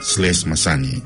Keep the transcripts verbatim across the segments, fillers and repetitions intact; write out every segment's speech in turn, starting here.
slash masani.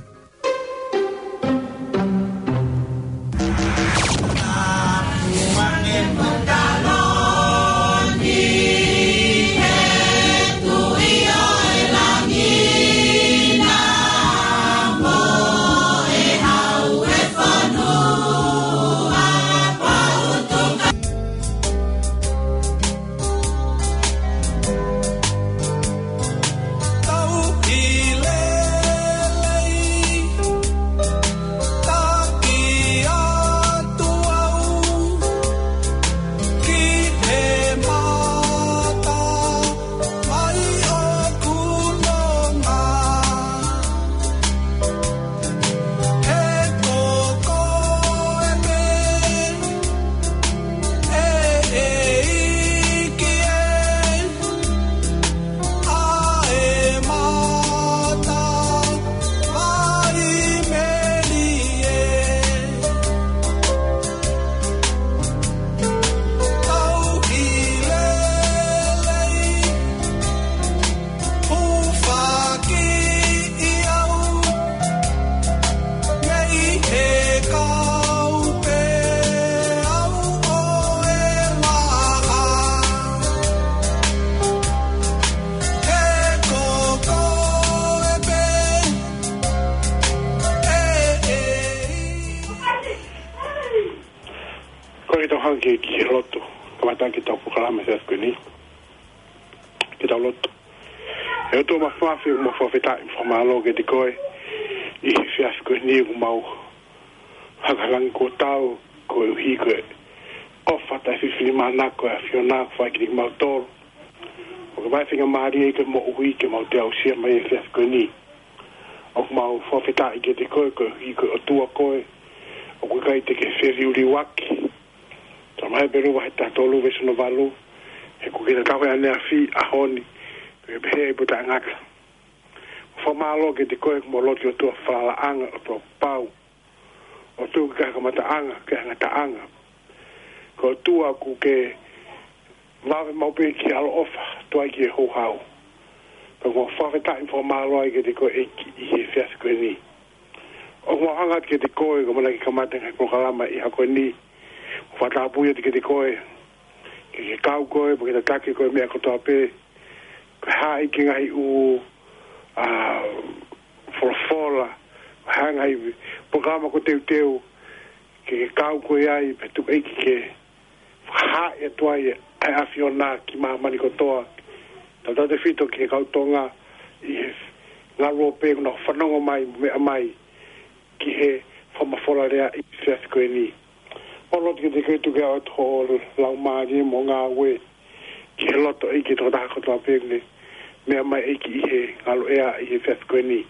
Ko e tau hanga ki he lotu, kamata ki he tau polokalama he efiafi ko eni. Ke tau lotu. ʻE ʻOtua Māfimafi, ʻoku mau fakafetaʻi mo fakamālō kiate koe ʻi he efiafi ko eni, ʻoku mau hanga ʻo langi kuo tau, koeʻuhi ko e ʻofa taʻefilifilimānako ʻa e ʻAfiona kuo fai kiate kimautolu. ʻOku ke maʻu e faingamālie ʻi he moʻui ke mau toe aʻusia mai e efiafi ko eni. ʻOku mau fakafetaʻi kiate koe, koeʻuhi ko e ʻOtua koe, ʻoku ʻikai te ke feliuliuaki. Talamai ʻe Hepelū vahe taha tolu veesi hono valu, he ʻoku ke tatau he ʻaneafi, ʻaho ni, pea pehē ʻi he pō taʻengata. Fakamālō kiate koe, ʻoku mau lotu ʻi he ʻOtua falalaʻanga, ʻOtua pau. ʻOtua ʻoku ʻikai ha kamataʻanga, ʻikai ha ngataʻanga. Ko e ʻOtua ʻoku ke vave maʻu pē ki he ʻaloʻofa, tuai ki he houhau. Pea ʻoku mau fakafetaʻi mo fakamālō ai kiate koe ʻEiki ʻi he efiafi ko eni. ʻOku mau hanga atu kiate koe, ko e ʻamanaki ke kamata e ngaahi polokalama ʻi he ʻaho ko eni. Mo fakatapui atu kiate koe, ke ke kau koe, mo ke tataki koe meʻa kotoa pē. Ko e hā e ngaahi ʻū, ʻa, folofola, ko e hā e ngaahi polokalama kuo teuteu, ke ke kau koe ai, pea tuku ʻEiki ke fakahaaʻi atu ai ʻa e ʻAfiona ki māmani kotoa. Tautautefito ki he kau Tonga ʻi he ngaluope ʻoku nau fanongo mai, meʻa mai ki he fakamafola lea ʻi he efiafi ko eni. Mau lotu kiate koe, tuku ke ʻoatu ho laumālie mo e ngāue ki he loto ʻEiki ʻo e tokotaha kotoa pē ʻoku ne meʻa mai ʻEiki ʻi he ngaluʻea ʻi he efiafi ko eni.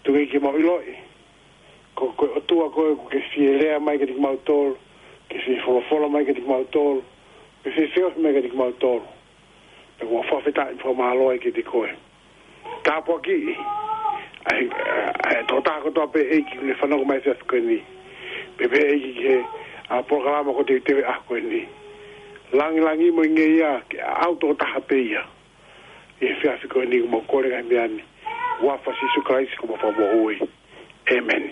Tuku ke mau ʻiloʻi ko, ko e ʻOtua koe ʻoku ke fie lea mai kiate kimautolu, ke fie folofola mai kiate kimautolu, ke fie feohi mai kiate kimautolu. Pea ʻoku mau fakafetaʻi mo fakamālō ai kiate koe. Tāpuakiʻi ʻa e, ʻa e tokotaha kotoa pē ʻEiki ʻoku ne fanongo mai he efiafi ko eni. Pea pehē ʻEiki ki he, ʻa, polokalama kuo teuteu he ʻaho ko eni. Langilangiʻi mo e ngeia ke ʻaʻau tokotaha pē ia ʻi he efiafi ko eni, ʻoku mau kole e ngaahi meʻa ni ʻi he huafa ʻo Sīsū Kalaisi ko homau Fakamoʻui. ʻĒmeni.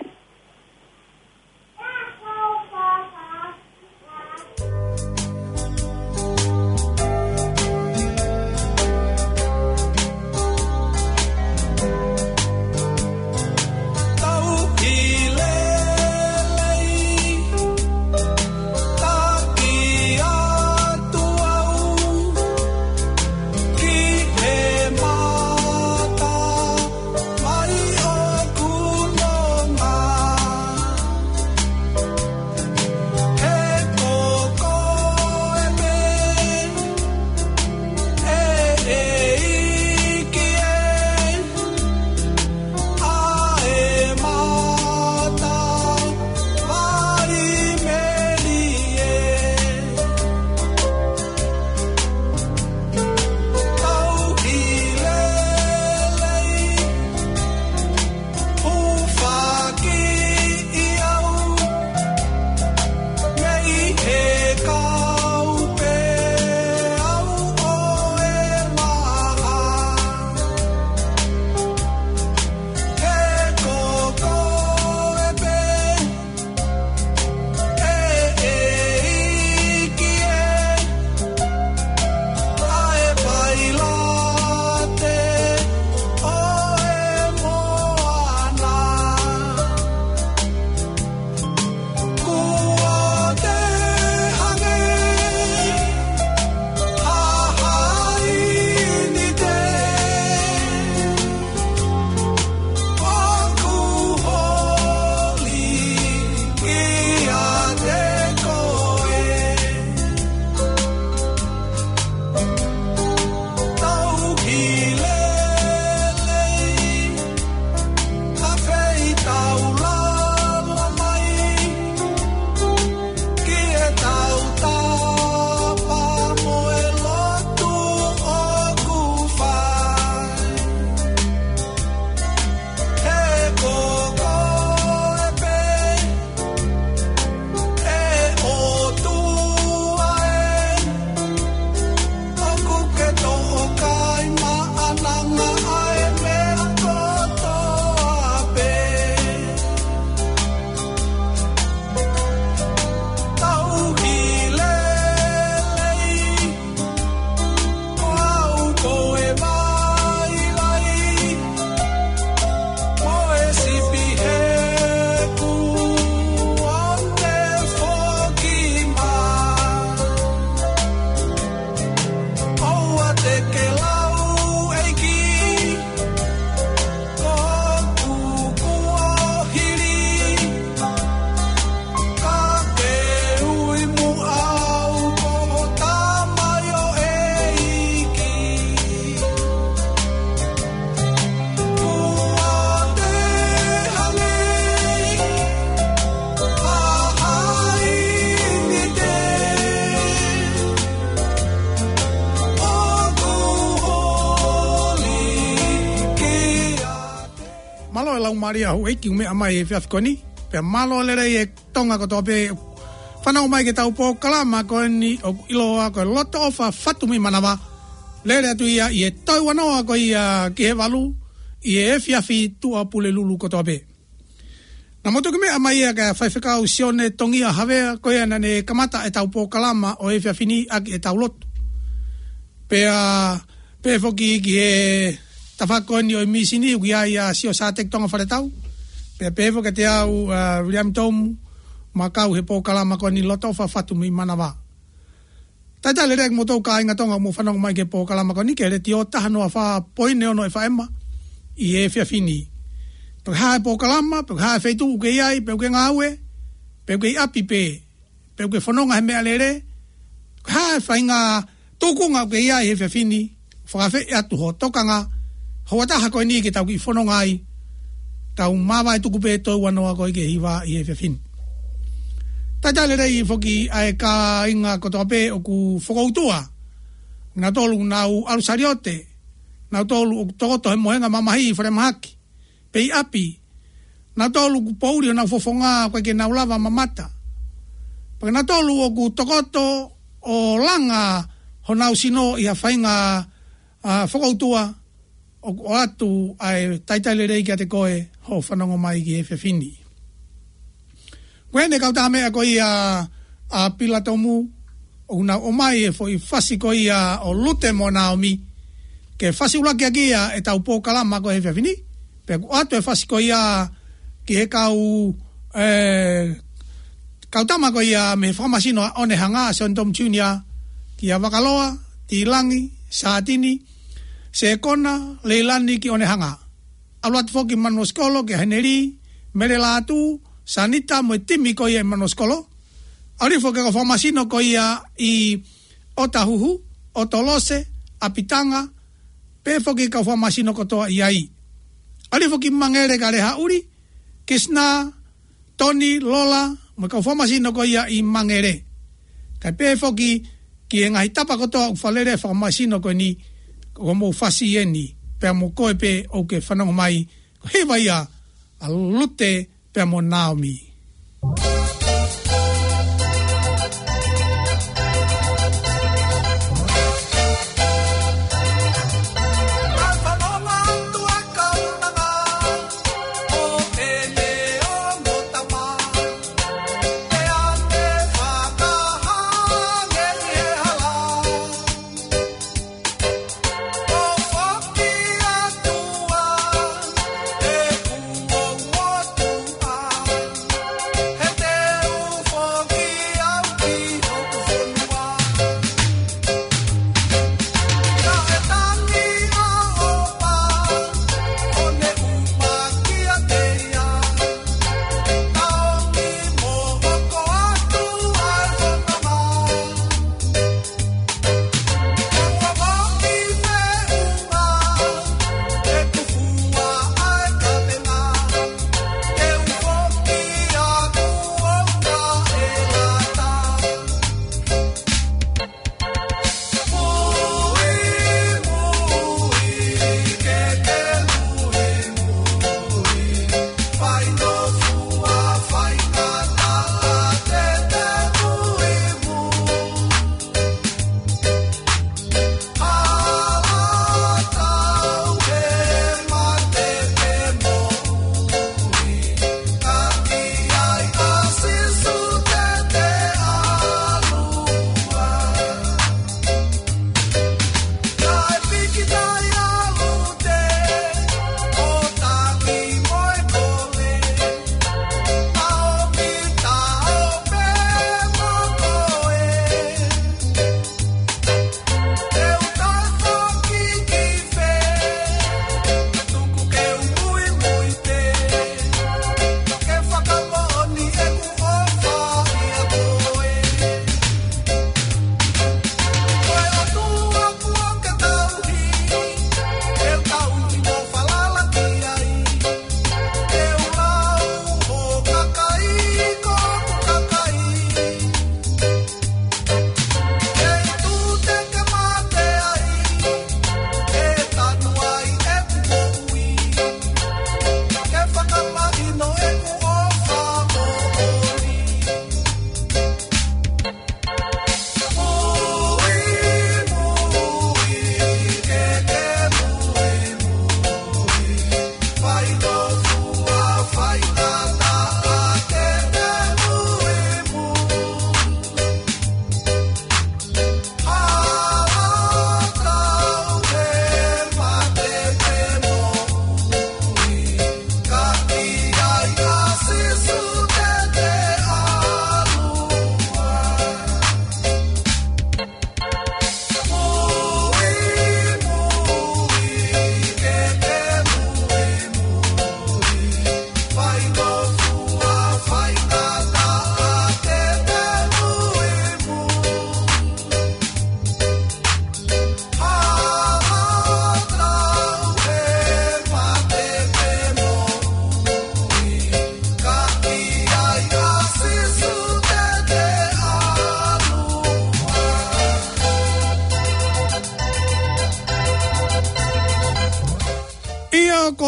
Mālō e laumālie ʻa houʻeiki ʻoku meʻa mai he efiafi ko eni. Pea mālō lelei e Tonga kotoa pē. Fanongo mai ki heʻetau polokalama ko eni ʻoku ʻiloa ko e Loto ʻOfa Fatu Mei Manava. Lele atu ia ʻi he toe ua noa ko ia ki he valu ʻi he efiafi, tuʻa Pulelulu kotoa pē. Naʻa mou toki meʻa mai ia kia Faifekau Sione Tongia Havea, ko ia naʻa ne kamata ʻetau polokalama ʻo e efiafi ni ʻaki ʻetau lotu. Pea pehē foki ki he tafaʻaki ko eni ʻo e mīsini, ʻoku ʻi ai ʻa Sio Sateki Tonga Faletau. Pea pehē foki kiate au, ʻa Viliami Tomu, mo e kau he polokalama ko eni Loto ʻOfa Fatu Mei Manava. Talitali lelei kimoutolu kāinga Tonga ʻoku mou fanongo mai ki he polokalama ko eni ki he Letiō taha noa fā poini ono F M ʻi he efiafi ni. Pe ko e hā e polokalama, pe ko e hā e feituʻu ʻoku ke ʻi ai, pe ʻoku ke ngāue, pe ʻoku ke ʻi ʻapi pē, pe ʻoku ke fononga he meʻalele, ko e hā e faʻahinga tūkunga ʻoku ke ʻi ai he efiafi ni, fakaafeʻi atu ho tokanga, houa taha ko eni ke tau kiʻi fononga ai, tau māvae tuku pē toe ua noa ko ia ki he hiva ʻi he efiafi ni. Talitali lelei foki ʻa e kāinga kotoa pē ʻoku fokoutua, nautolu ʻoku nau ʻalu saliote, nautolu ʻoku tokoto he mohenga mamahi ʻi falemahaki, pe ʻi ʻapi, nautolu ʻoku poʻuli honau fofonga ʻoku ʻikai ke nau lava mamata. Pea ko nautolu ʻoku tokoto ʻo langa honau sino ʻi ha faʻahinga, ʻa, fokoutua, ʻoku ʻoatu ʻa e talitali lelei kiate koe hoʻo fanongo mai ki he efiafi ni. Ko eni e kau tamaiki ko ia ʻa Pila Tomu, ʻoku nau ʻomai e foʻi fasi ko ia ʻo Lute mo Naomi, ke fasi ʻuluaki ʻaki ia ʻetau polokalama ko e efiafi ni. Pea ʻoku ʻoatu e fasi ko ia ki he kau, ē, kau tama ko ia mei he fakamasino ʻa ʻOnehanga, Sione Tomu Junior, kia Vakaloa, Tilangi, Satini, Sekona, Leilani ki ʻOnehanga. ʻAlu atu foki Manuosikolo kia Heneli, Mele Lātū, Sanita mo e timi ko ia ʻi Manuosikolo. ʻAlu foki e kau fakamasino ko ia ʻi ʻOtahuhu, ʻOtolose, ʻApitanga, pehē foki e kau fakamasino kotoa ʻi ai. ʻAlu foki Mangele kia Lehaʻuli, Kisina, Toni, Lola, mo e kau fakamasino ko ia ʻi Mangele. Kae pehē foki ki he ngaahi tapa kotoa ʻoku fakalele e fakamasino ko eni, ko hoʻomou fasi eni, pea mo koe pē ʻoku ke fanongo mai, ko e hiva ia ʻa Lute pea mo Naomi.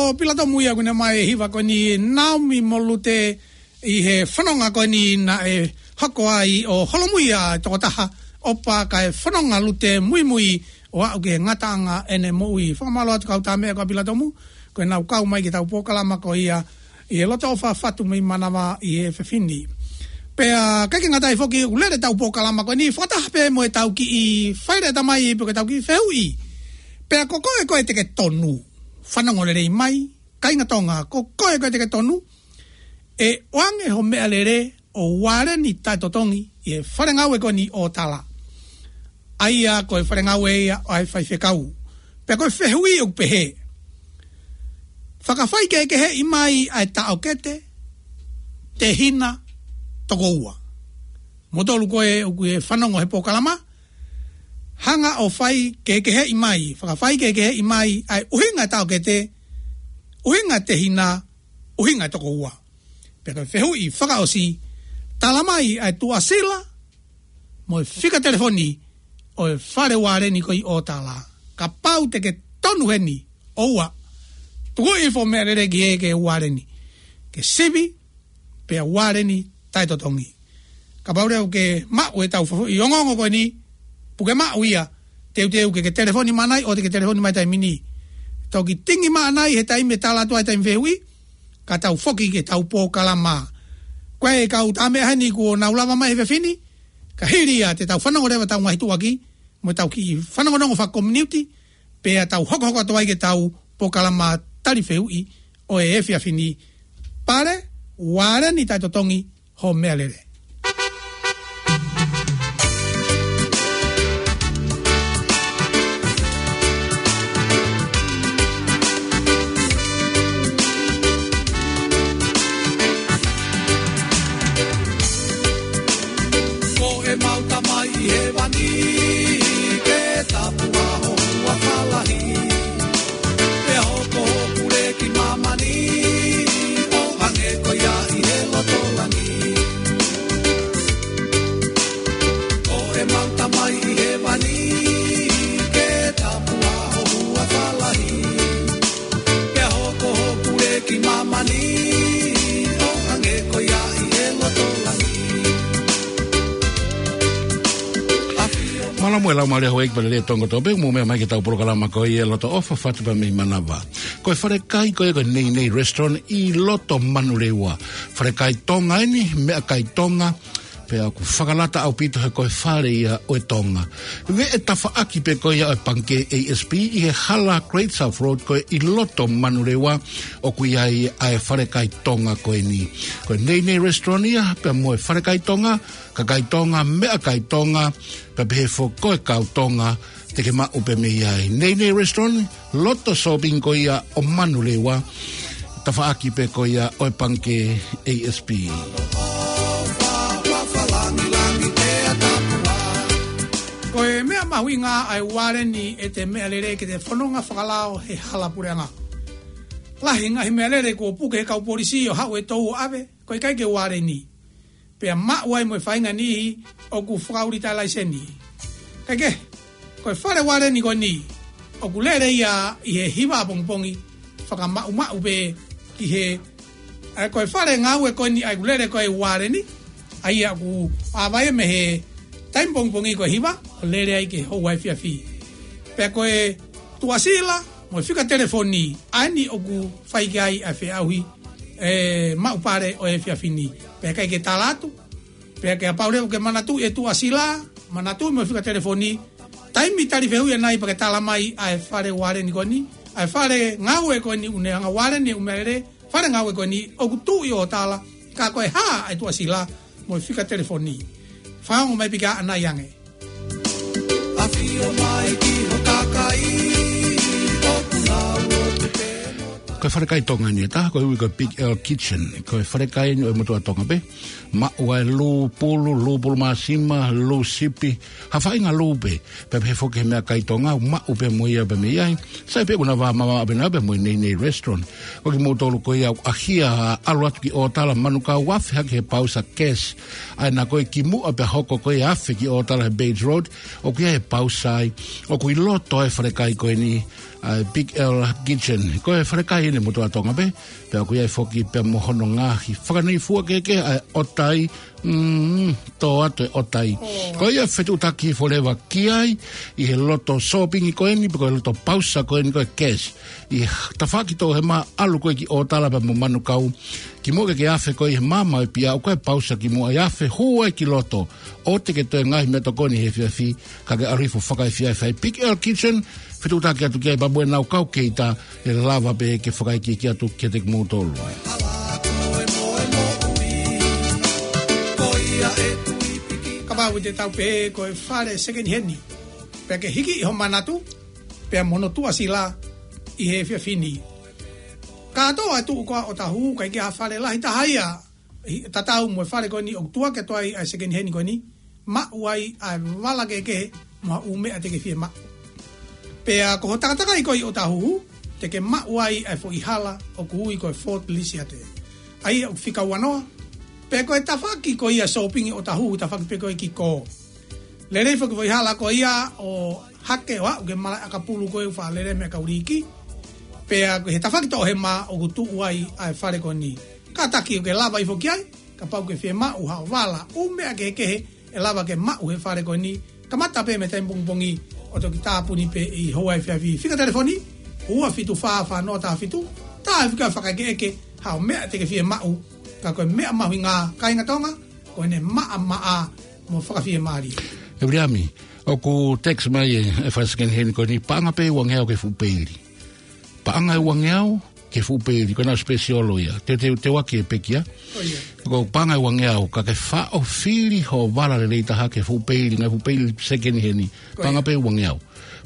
Ko Pilatomu ia ʻoku ne ʻomai e hiva ko eni, Naomi mo Lute, ʻi he fononga ko eni naʻe hoko ai ʻo holomui ʻa e tokotaha ʻo pā kae fononga Lute muimui ʻo aʻu ki he ngataʻanga ʻene moʻui. Fakamālō atu kau tāmeʻa ko Pilatomu, ko ʻenau kau mai ki heʻetau polokalama ko ia ʻi he Loto ʻOfa Fatu mei Manava ʻi he efiafi ni. Pea ʻikai ke ngata ai foki, ʻoku lele ʻetau polokalama ko eni fakataha pē mo ʻetau kiʻi faileʻa tamai pe ko ʻetau kiʻi fehuʻi. Pea ko koe ko ē te ke tonu, fanongo lelei mai, kāinga Tonga, ko koe ko ē te ke tonu, ʻe ʻoange ho meʻalele ʻo ualeni taʻetotongi ʻi he fale ngāue ko eni ʻo Tala. ʻA ia ko e fale ngāue ia ʻo e faifekau. Pea ko e fehuʻi ʻoku pehē: Fakafaikehekeheʻi mai ʻa e taʻokete, tehina, tokoua. Moutolu ko ē ʻoku ke fanongo he polokalama, hanga ʻo faikehekeheʻi mai, fakafaikehekeheʻi mai ʻa e ʻuhinga taʻokete, ʻuhinga tehina, ʻuhinga tokoua. Pea ko e fehuʻi fakaʻosi, tala mai ʻa e tuʻasila mo e fika telefoni ʻo e fale ualeni ko ē ʻo Tala. Kapau te ke tonu heni, ʻoua, tuku hifo ho meʻalele ki hē ke ualeni. Ke sivi, pea ualeni taʻetotongi. Kapau leva ʻoku ke maʻu ʻetau fehuʻi ongoongo ko eni, puke maʻu ia, teuteu ke ke telefoni mai ʻo te ke telefoni mai taimi ni. Toki tingi mai ʻanai he taimi ʻe tala atu ai e taimi fehuʻi, ka tau foki ki heʻetau polokalama. Ko e kau tāmeʻa heni kuo nau lava mai he efiafi ni, ka hili ia te tau fanongo leva ʻetau ngaahi tuʻuaki, mo ʻetau kiʻi fanongonongo fakakominiuti, pea tau hokohoko atu ai ki heʻetau polokalama tali fehuʻi ʻo e efiafi ni. Pale, ualeni taʻetotongi ho meʻalele. Ko ʻemau Tamai ʻi hēvani, ke tāpuhā ho huafa lahi. Pea hoko hoʻo pule ki māmani, ʻo hangē ko ia ʻi he loto langi. Ko ʻemau Tamai ʻi hēvani, ke tāpuhā ho huafa lahi. Pea hoko hoʻo pule ki māmani, ʻo hangē ko ia ʻi he loto langi. Mālō muʻa e laumālie houʻeiki, pea lelei e Tonga kotoa pē ʻoku mou meʻa mai ki heʻetau polokalama ko ia Loto ʻOfa Fatu pea mei Manava. Ko e falekai ko ē ko e Nei Nei Restaurant ʻi loto Manurewa. Falekai Tonga eni, meʻakai Tonga, pea ʻoku fakalata ʻaupito he ko e fale ia ʻo e Tonga. Veʻe tafaʻaki pē ko ia ʻo e pangikē A S P ʻi he hala Great South Road ko ē ʻi loto Manurewa, ʻoku ʻi ai ʻa e falekai Tonga ko eni. Ko e Nei Nei Restaurant ia, pea mo e falekai Tonga, kakai Tonga, meʻakai Tonga, pea pehē foki ko e kau Tonga, te ke maʻu pē mei ai. Nei Nei Restaurant, loto shopping ko ia ʻo Manurewa, tafaʻaki pē ko ia ʻo e pangikē A S P. Ko e meʻa mahuʻinga ʻa e ualeni ʻete meʻalele ke te fononga fakalao he hala puleʻanga. Lahi e ngaahi meʻalele kuo puke he kau polisi ʻo haʻu e tou ʻo ʻave, ko e ʻikai ke ualeni. Pea maʻu ai mo e faʻahinga niʻihi ʻoku fakaʻuli taʻe laiseni. Kae kehe, ko e fale ualeni ko eni, ʻoku lele ia ʻi he hiva ʻapongipongi, fakamaʻumaʻu pē ki he, ʻa ia ko e fale ngāue ko eni ʻa ia ʻoku lele ko ē ualeni, ʻa ia ʻoku ʻave ia mei he taimi pongipongi ko e hiva, ʻo lele ai ki he houa efiafi. Pea ko e tuʻasila mo e fika telefoni, ʻa eni ʻoku fai ki ai ʻa e feʻauhi, ʻe, maʻu pale ʻo e efiafi ni. Pea ʻikai ke tala atu, pea kapau leva ʻoku ke manatuʻi e tuʻasila, manatuʻi mo e fika telefoni, taimi tali fehuʻi ʻanai pea ke tala mai ʻa e fale ualeni ko eni, ʻa e fale ngāue ko eni ʻoku ne hanga ualeni e ʻū meʻalele, fale ngāue ko eni ʻoku tuʻu ʻi ʻOtala, ka ko e hā ʻa e tuʻasila mo e fika telefoni. Fakaongo mai pē ke ʻanai ange. ʻAfio mai ki ho kakai, ʻoku nau lotu pē mo ta. Ko e falekai Tonga eni ʻe taha, ko e ui ko e Big L Kitchen. Ko e falekai eni ʻo e motuʻa Tonga pē. Maʻu ai e lū pulu, lū pulu māsima, lū sipi, ha faʻahinga lū pē. Pea pehē foki he meʻakai Tonga, ʻoku maʻu pē mo ia pē mei ai. Sai pē ʻoku na vā mamaʻo pē na pē mo e Nei Nei Restaurant. Ko kimoutolu ko ia ʻoku ʻaʻahi ʻalu atu ki ʻOtala, manukau, ʻoku afe hake he pausa cash. ʻA ia ko e kimuʻa pea hoko ko e afe ki ʻOtala he Bates Road, ʻoku ʻi ai e pausa ai. ʻOku ʻi loto e falekai ko eni, ʻa e Big L Kitchen. Ko e falekai ʻeni motuʻa Tonga pē, pea ʻoku ʻi ai foki pea mo hono ngaahi fakanei fua kehekehe, ʻa e ʻotai, mm, tō atu e ʻotai. Ko ia fetuʻutaki forever ki ai, ʻi he loto sōpingi ko ʻeni, pe ko e loto pausa ko ʻeni ko e cash. ʻI he tafaʻaki toʻohema ʻalu ko ē ki ʻŌtala pea mo Manukau, kimuʻa ke ke afe ko ē ʻi he maama ʻo e pia, ʻoku ʻi ai e pausa kimuʻa ʻi afe, hū ai ki loto, ʻoua te ke toe ngaahi meʻatokoni he efiafi, ka ke ʻalu hifo fakaefiafi. Big L Kitchen, fetuʻutaki atu ki ai pea mo ʻenau kau keita, ʻe lava pē ke fakaikiiki atu kiate kimoutolu. Kapau te tau pehē ko e fale second hand, pea ke hiki ʻi ho manatu, pea mo hono tuʻasila ʻi he efiafi ni. Kātoa e tuʻu ko ē ʻo Ōtāhuhu, ʻikai ke ʻi ai ha fale lahi taha ia, ʻi, tatau mo e fale ko ʻeni ʻoku tuʻu atu ai ʻa e second hand ko ʻeni, maʻu ai ʻa e vala kehekehe mo ha ʻū meʻa te ke fiemaʻu. Pea ko ho takatakai ko ē ʻi ʻŌtāhuhu, te ke maʻu ai ʻa e foʻi hala ʻoku ui ko e Fort Lisiate. ʻA ia ʻoku fika ua noa, pea ko e tafaʻaki ko ia sōpingi ʻo ʻŌtāhuhu, tafaʻaki pē ko ē ki kō. Lelei foki e foʻi hala ko ia ʻo hake ʻo aʻu ki he malaʻe ʻakapulu ko ē ʻoku faʻa lele ai e meʻa kau liiki. Pea ko e tafaʻaki toʻohema ʻoku tuʻu ai ʻa e fale ko ʻeni. Kātaki ʻoku ke lava hifo ki ai, kapau ʻoku ke fiemaʻu haʻo vala, ʻū meʻa kehekehe ʻe lava ke maʻu he fale ko ʻeni. Kamata pē mei he taimi pongipongi ʻo toki tāpuni pē ʻi he houa efiafi. Fika telefoni, ua fitu fā fā noa taha fitu, tā e fika fakaʻekeʻeke haʻo meʻa te ke fiemaʻu, ka ko e meʻa mahuʻinga, kāinga Tonga, ko ʻene maʻamaʻa mo fakafiemālie. ʻE Viliami, ʻoku text mai e, e fale second hand ko ʻeni, paʻanga pē ua ngeau ki he fuʻu peili. Paʻanga ʻe ua ngeau ki he fuʻu peili, ko ʻenau special ia. Te, te, te ʻoatu e pekia. Ko ia. Ko e paʻanga ʻe ua ngeau, ka ke faʻo fili ho vala lelei taha ki he fuʻu peili, ngaahi fuʻu peili second hand. Ko ia. Paʻanga pē ua ngeau.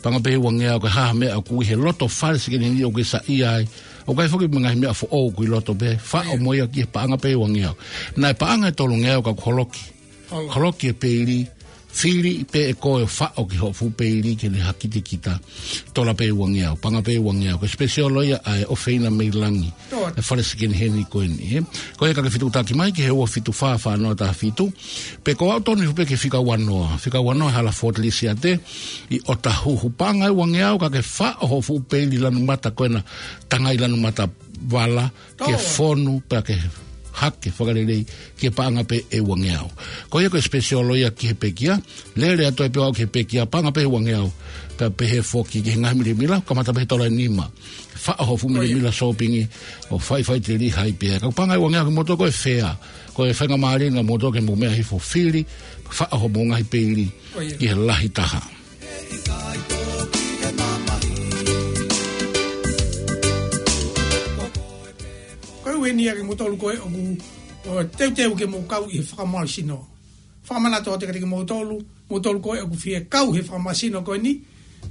Paʻanga pē ua ngeau, ko e hā ha meʻa ʻoku ʻi he loto fale second hand ʻoku ke saiʻia ai. ʻOku ʻi ai foki mo e ngaahi meʻa foʻou ʻoku ʻi loto pē, faʻo mo ia ki he paʻanga pē ua ngeau. Naʻe paʻanga ʻe tolu ngeau ka ʻoku holoki. Holoki e peili, fili pē ʻe koe ʻo faʻo ki hoʻo fuʻu peili ke ne hakitekita. Tola pē ua ngeau, paʻanga pē ua ngeau. Ko e special ia ʻa e ʻofeina mei langi. Toa. E fale second hand ko ʻeni, ē. Ko ia ka ke fetuʻutaki mai ki he ua fitu fā fā noa taha fitu. Pe ko e ʻalu tonu hifo pē ki he fika ua noa. Fika ua noa hala Fort Lisiate ʻi ʻŌtāhuhu, paʻanga ʻe ua ngeau ka ke faʻo hoʻo fuʻu peili lanu mata ko ena, tangai lanu mata vala, ke fonu, pea ke hake fakalelei, ki he paʻanga pē ʻe ua ngeau. Ko ia ko e special ia ki he pekia, lele atu ai pē ʻo aʻu ki he pekia, paʻanga pē ʻe ua ngeau, pea pehē foki ki he ngaahi milemila, kamata pē he tola ʻe nima. Faʻo hoʻo fuʻu milemila sōpingi, ʻo faifai te lihai pē. Ka ko e paʻanga ʻe ua ngeau kimoutolu ko e fea, ko e faingamālie ʻa moutolu ke mou meʻa hifo fili, faʻo hoʻomou ngaahi peili, ki he lahi taha. Ko e ʻuhinga ia kimoutolu ko ē ʻoku, ʻo teuteu ke mou kau ʻi he fakamālohisino. Fakamanatu atu kiate kimoutolu, moutolu ko ē ʻoku fie kau he fakamālohisino ko ʻeni,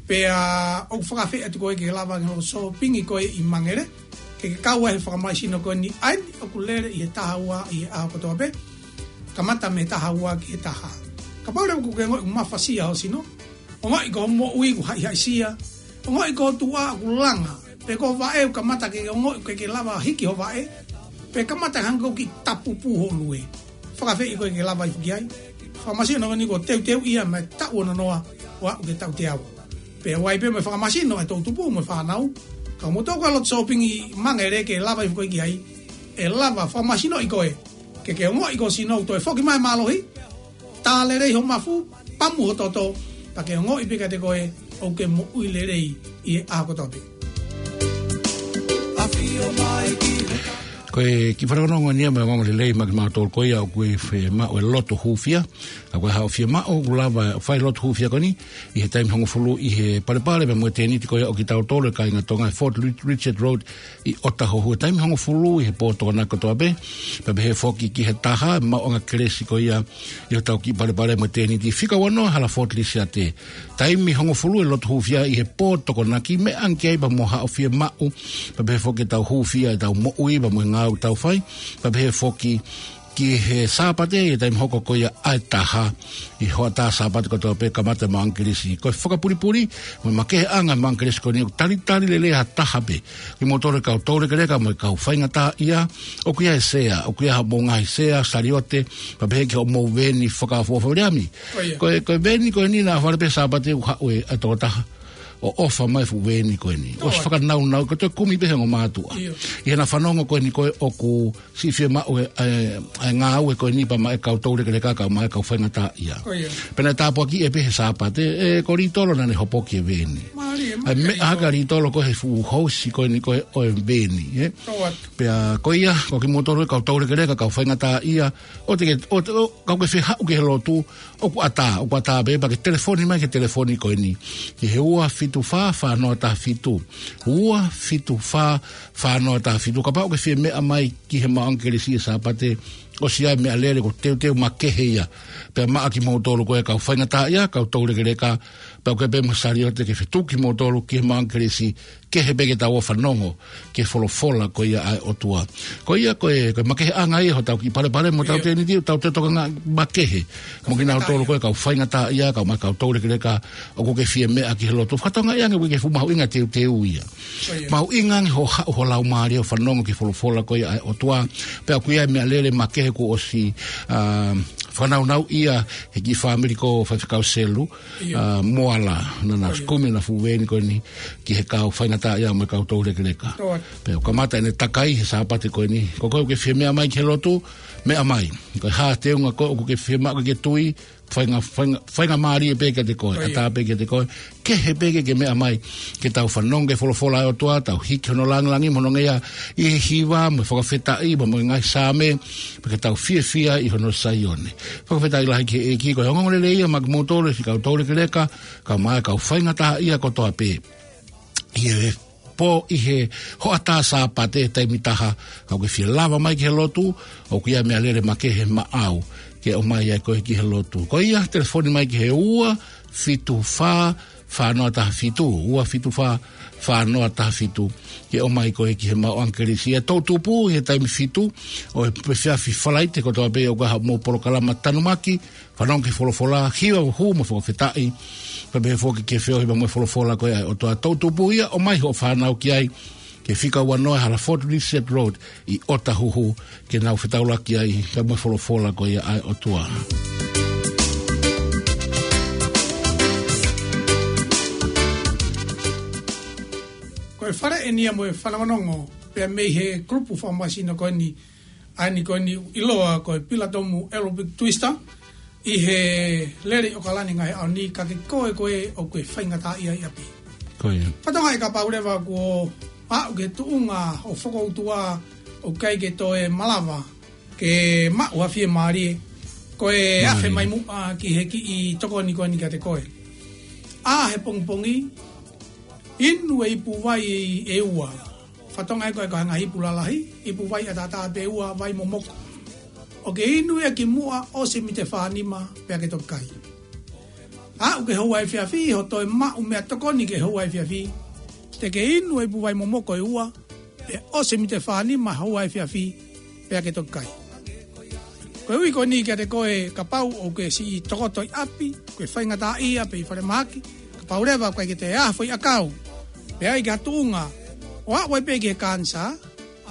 pea ʻoku fakafeʻiloaki atu ko ē ke lava ke nau sōpingi ko ē ʻi Mangere, ke ke kau ai he fakamālohisino ko ʻeni, ʻa eni ʻoku lele ʻi he taha ua ʻi he ʻaho kotoa pē, kamata mei he taha ua ki he taha. Kapau leva ʻoku ke ongoʻi ʻoku mafasia ho sino, ongoʻi ko hoʻo moʻui ʻoku haʻihaʻisia, ongoʻi ko ho tuʻa ʻoku langa, pe ko ho vaʻe ʻoku kamata ke ongoʻi ʻoku ʻikai ke lava hiki ho vaʻe, pe kamata hangē ʻoku kiʻi tapu pū ho lue. Fakafeʻiloaki ko ē ke lava hifo ki ai. Fakamālohisino ko ʻeni kuo teuteu ia mei he taʻu ono noa ʻo aʻu ki he taʻu teau. Pea ʻoku ʻi ai pē mo e fakamālohisino ʻa e toʻutupu mo e fānau. Ka ko moutolu ko ē loto sōpingi ʻi Mangere ke lava hifo ko ē ki ai, ʻe lava fakamālohisinoʻi koe. Ke ke ongoʻi ko ho sino ʻoku toe foki mai e mālohi, tā lelei ho mafu, pamu ho toto, pea ke ongoʻi pē kiate koe ʻoku ke moʻui lelei ʻi he ʻaho kotoa pē. Ko e kiʻi fakaongoongo ʻeni ia mo e ongoongo lelei maʻa kimautolu ko ia ʻoku fiemaʻu e lotu hūfia. Ka ko e haʻu fiemaʻu ʻoku lava fai lotu hūfia ko ʻeni ʻi he taimi hongofulu ʻi he Palepale pea mo e tēniti ko ia ʻo kitautolu e kāinga Tonga, Fort Richard Road, ʻi ʻŌtāhuhu, taimi hongofulu ʻi he pō Tokonaki kotoa pē, pea pehē foki ki he taha, maʻuʻanga kelesi ko ia ʻi hotau kiʻi Palepale mo e tēniti, fika ua noa hala Fort Lisiate. Taimi hongofulu e lotu hūfia ʻi he pō Tokonaki, meʻa ange ki ai pea mo haʻo fiemaʻu, pea pehē foki ʻetau hūfia ʻetau moʻui pea mo e ngāue ʻoku tau fai, pea pehē foki ki he Sāpate ʻi he taimi hoko ko ia ʻa e taha, ʻi he hoʻatā Sāpate kotoa pē kamata e maʻuʻanga kelesi. Ko e fakapulipuli mo e makeheʻanga e maʻuʻanga kelesi ko ʻeni ʻoku talitali lelei ʻe ha taha pē. Kimoutolu e kau toulekeleka mo e kau faingataʻaʻia, ʻoku ʻi ai e sea, ʻoku ʻi ai haʻamou ngaahi sea, saliote, pea pehē ki hoʻomou veni fakaʻofoʻofa, Viliami. Ko ia. Ko e, ko e veni ko ʻeni naʻa fale pē Sāpate ʻoku haʻu e, ʻa e tokotaha. ʻo ʻofa mai e fuʻu veeni ko eni. ʻOsi fakanaunau, ko e toe kumi pē he ongo mātuʻa. ʻI heʻena fanongo ko eni ko ē ʻoku siʻi fiemaʻu e, e, e ngāue ko eni pea maʻa e kau toulekeleka, kae ʻumaʻā e kau faingataʻaʻia. Pea naʻe tāpuakiʻi pē he Sāpate, ē, ko Litolo naʻa ne hopoki e veeni. ʻA e meʻa hake ʻa Litolo ko e fuʻu housi ko eni ko ē ʻo e veeni, ē. Pea ko ia, ko kimoutolu e kau toulekeleka, kau faingataʻaʻia, ʻoua te ke, ʻoua te, ʻo, kapau ʻoku ke fie haʻu ki he lotu, ʻoku ʻatā, ʻoku ʻatā pē, pea ke telefoni mai ki he telefoni ko eni. Ki he ua fitu fā, fā noa taha fitu. Ua fitu fā, fā noa taha fitu. Kapau ʻoku ke fie meʻa mai ki he maʻuʻanga kelesi he Sāpate, ʻosi ʻa e meʻalele, ko e teuteu makehe ia. Pea maʻa kimoutolu ko e kau faingataʻaʻia, kau toulekeleka, pea ʻoku ʻi ai pē mo e saliote ke fetuku kimoutolu ki he maʻuʻanga kelesi, kehe pē ke tau ō ʻo fanongo ki he folofola ko ia ʻa e ʻOtua. Ko ia ko e, ko e makeheʻanga ia hotau kiʻi palepale mo hotau tēniti, ʻoku tau toe tokangaʻi makehe mo kinautolu ko e kau faingataʻaʻia, kae ʻumaʻā e kau toulekeleka, ʻoku ke fie meʻa ki he lotu. Fakatokangaʻi ange ʻoku ʻikai ke fuʻu mahuʻinga e teuteu ia. Mahuʻinga ange hoʻo haʻu ho laumālie ʻo fanongo ki he folofola ko ia ʻa e ʻOtua. Pea ʻoku ʻi ai e meʻalele makehe kuo ʻosi, ā, fakanaunauʻia ʻe he kiʻi fāmili ko Faifekau Selu, ʻa, Moala, naʻa na ʻosi kumi ʻena fuʻu veeni ko eni ki he kau faingataʻaʻia mo e kau toulekeleka. Pea ʻoku kamata ʻene takai he Sāpate ko eni. Ko koe ʻoku ke fie meʻa mai ki he lotu, meʻa mai. Ko e hā e teunga ko ē ʻoku ke fiemaʻu ke ke tui, fainga, fainga, faingamālie pē kiate koe, ʻatā pē kiate koe, kehe pē ke ke meʻa mai, ke tau fanongo ki he folofola ʻa e ʻOtua, tau hiki hono langilangi mo hono ngeia ʻi he hiva mo e fakafetaʻi, mo e ngaahi Saame, pea ke tau fiefia ʻi hono Saione. Fakafetaʻi lahi ki he ʻEiki, ko e ongoongolelei ia maʻa kimoutolu e siʻi kau toulekeleka, kae ʻumaʻā e kau faingataʻaʻia kotoa pē. ʻI he pō, ʻi he hoʻatā Sāpate, taimi taha, kapau ʻoku ke fie lava mai ki he lotu, ʻoku ʻi ai e meʻalele makehe maʻau ke ʻomai ai koe ki he lotu. Ko ia, telefoni mai ki he ua fitu fā, fā noa taha fitu, ua fitu fā, fā noa taha fitu, ke ʻomai koe ki he maʻuʻanga kelesi. ʻA e toʻutupu ʻi he taimi fitu ʻo e efiafi Falaite kotoa pē ʻoku ʻi ai haʻamou polokalama tanumaki, fanongo ki he folofola, hiva, hū mo fakafetaʻi, pea pehē foki ki he feohi pea mo e folofola ko ia ʻa e ʻOtua. Toʻutupu ia, ʻomai hoʻo fānau ki ai, ki he fika uanoa Halafotu Lissett Road ʻi ʻOtahuhu, ke nau fetaulaki ai pea mo e folofola ko ia ʻa e ʻOtua. Ko e fale eni ia mo e fanongonongo, pea mei he kulupu fakamāsino ko eni, ʻa eni ko eni ʻiloa ko e Pilatomu Aerobic Twister, ʻi he lele ʻi ʻOkalani he ngaahi ʻaho ni, ka ko koe ko ē ʻoku ke faingataʻaʻia ʻi ʻapi. Ko ia. Fakatokangaʻi kapau leva kuo aʻu ki he tuʻunga hoʻo fokoutua ʻoku ʻikai ke toe malava ke maʻu ha fiemālie, ko e afe mai muʻa ki he kiʻi tokoni ko eni kiate koe. ʻA e pongipongi, inu e ipu vai ʻe ua. Fakatokangaʻi ko e, ko e ngaahi ipu lalahi, ipu vai ʻataʻatā pē ʻe ua, vai momoko. ʻOku ke inu ia kimuʻa ʻosi e mite fā nima pea ke toki kai. Aʻu ki he houa efiafi, hoʻo toe maʻu meʻatokoni ki he houa efiafi, te ke inu e ipu vai momoko ʻe ua, pea ʻosi e mite fā nima houa efiafi, pea ke toki kai. Koeʻuhi ko eni kiate koe kapau ʻoku ke siʻi tokoto ʻi ʻapi, ʻoku ke faingataʻaʻia pē ʻi falemahaki, kapau leva ʻoku ʻikai ke toe ʻi ai ha foʻiʻakau, pea ʻi ai ha tuʻunga ʻo aʻu ai pē ki he kanisā,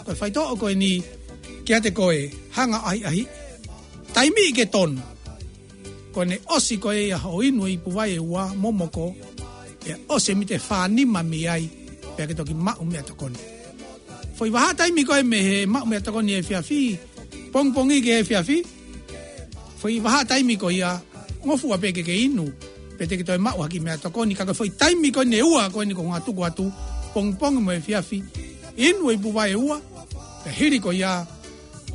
ko e faitoʻo ko eni kiate koe, hanga ʻo ʻahiʻahiʻi. Taimi ke tonu. Ko ʻene ʻosi ko ia hoʻo inu e ipu vai ʻe ua momoko, pea ʻosi e mite fā nima mei ai, pea ke toki maʻu meʻatokoni. Foʻi vahaʻa taimi ko ē mei he maʻu meʻatokoni efiafi, pongipongi ki he efiafi, foʻi vahaʻa taimi ko ia, ngofua pē ke ke inu, pea te ke toe maʻu ha kiʻi meʻatokoni, ka ko e foʻi taimi ko eni ʻe ua ko eni ʻoku ou tuku atu, pongipongi mo efiafi, inu e ipu vai ʻe ua, pea hili ko ia,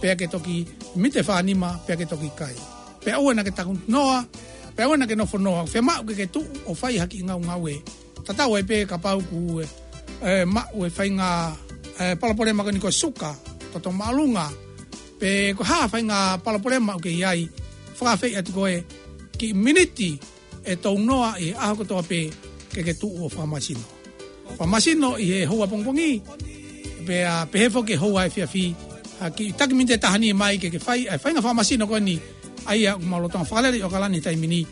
pea ke toki mite fā nima, pea ke toki kai. Pea ʻoua naʻa ke takunoa, pea ʻoua naʻa ke nofonoa, fiemaʻu ke ke tuʻu ʻo fai ha kiʻi ngaungaue. Tatau ai pē kapau ʻoku, ē, ē, maʻu e faʻahinga, ē, palopalema ko eni ko e suka, toto māʻolunga, pe ko e hā e faʻahinga palopalema ʻoku ke ʻi ai, fakaafeʻi atu koe, kiʻi miniti ʻe tolu noa ʻi he ʻaho kotoa pē ke ke tuʻu ʻo fakamasino. Fakamasino ʻi he houa pongipongi, pea pehē foki ki he houa efiafi, ha kiʻi taki miniti ʻe taha ni mai ke ke fai, ʻa e faʻahinga fakamasino ko eni, ʻa ia ʻoku mau lolotonga fakalele ʻi ʻOkalani he taimi ni.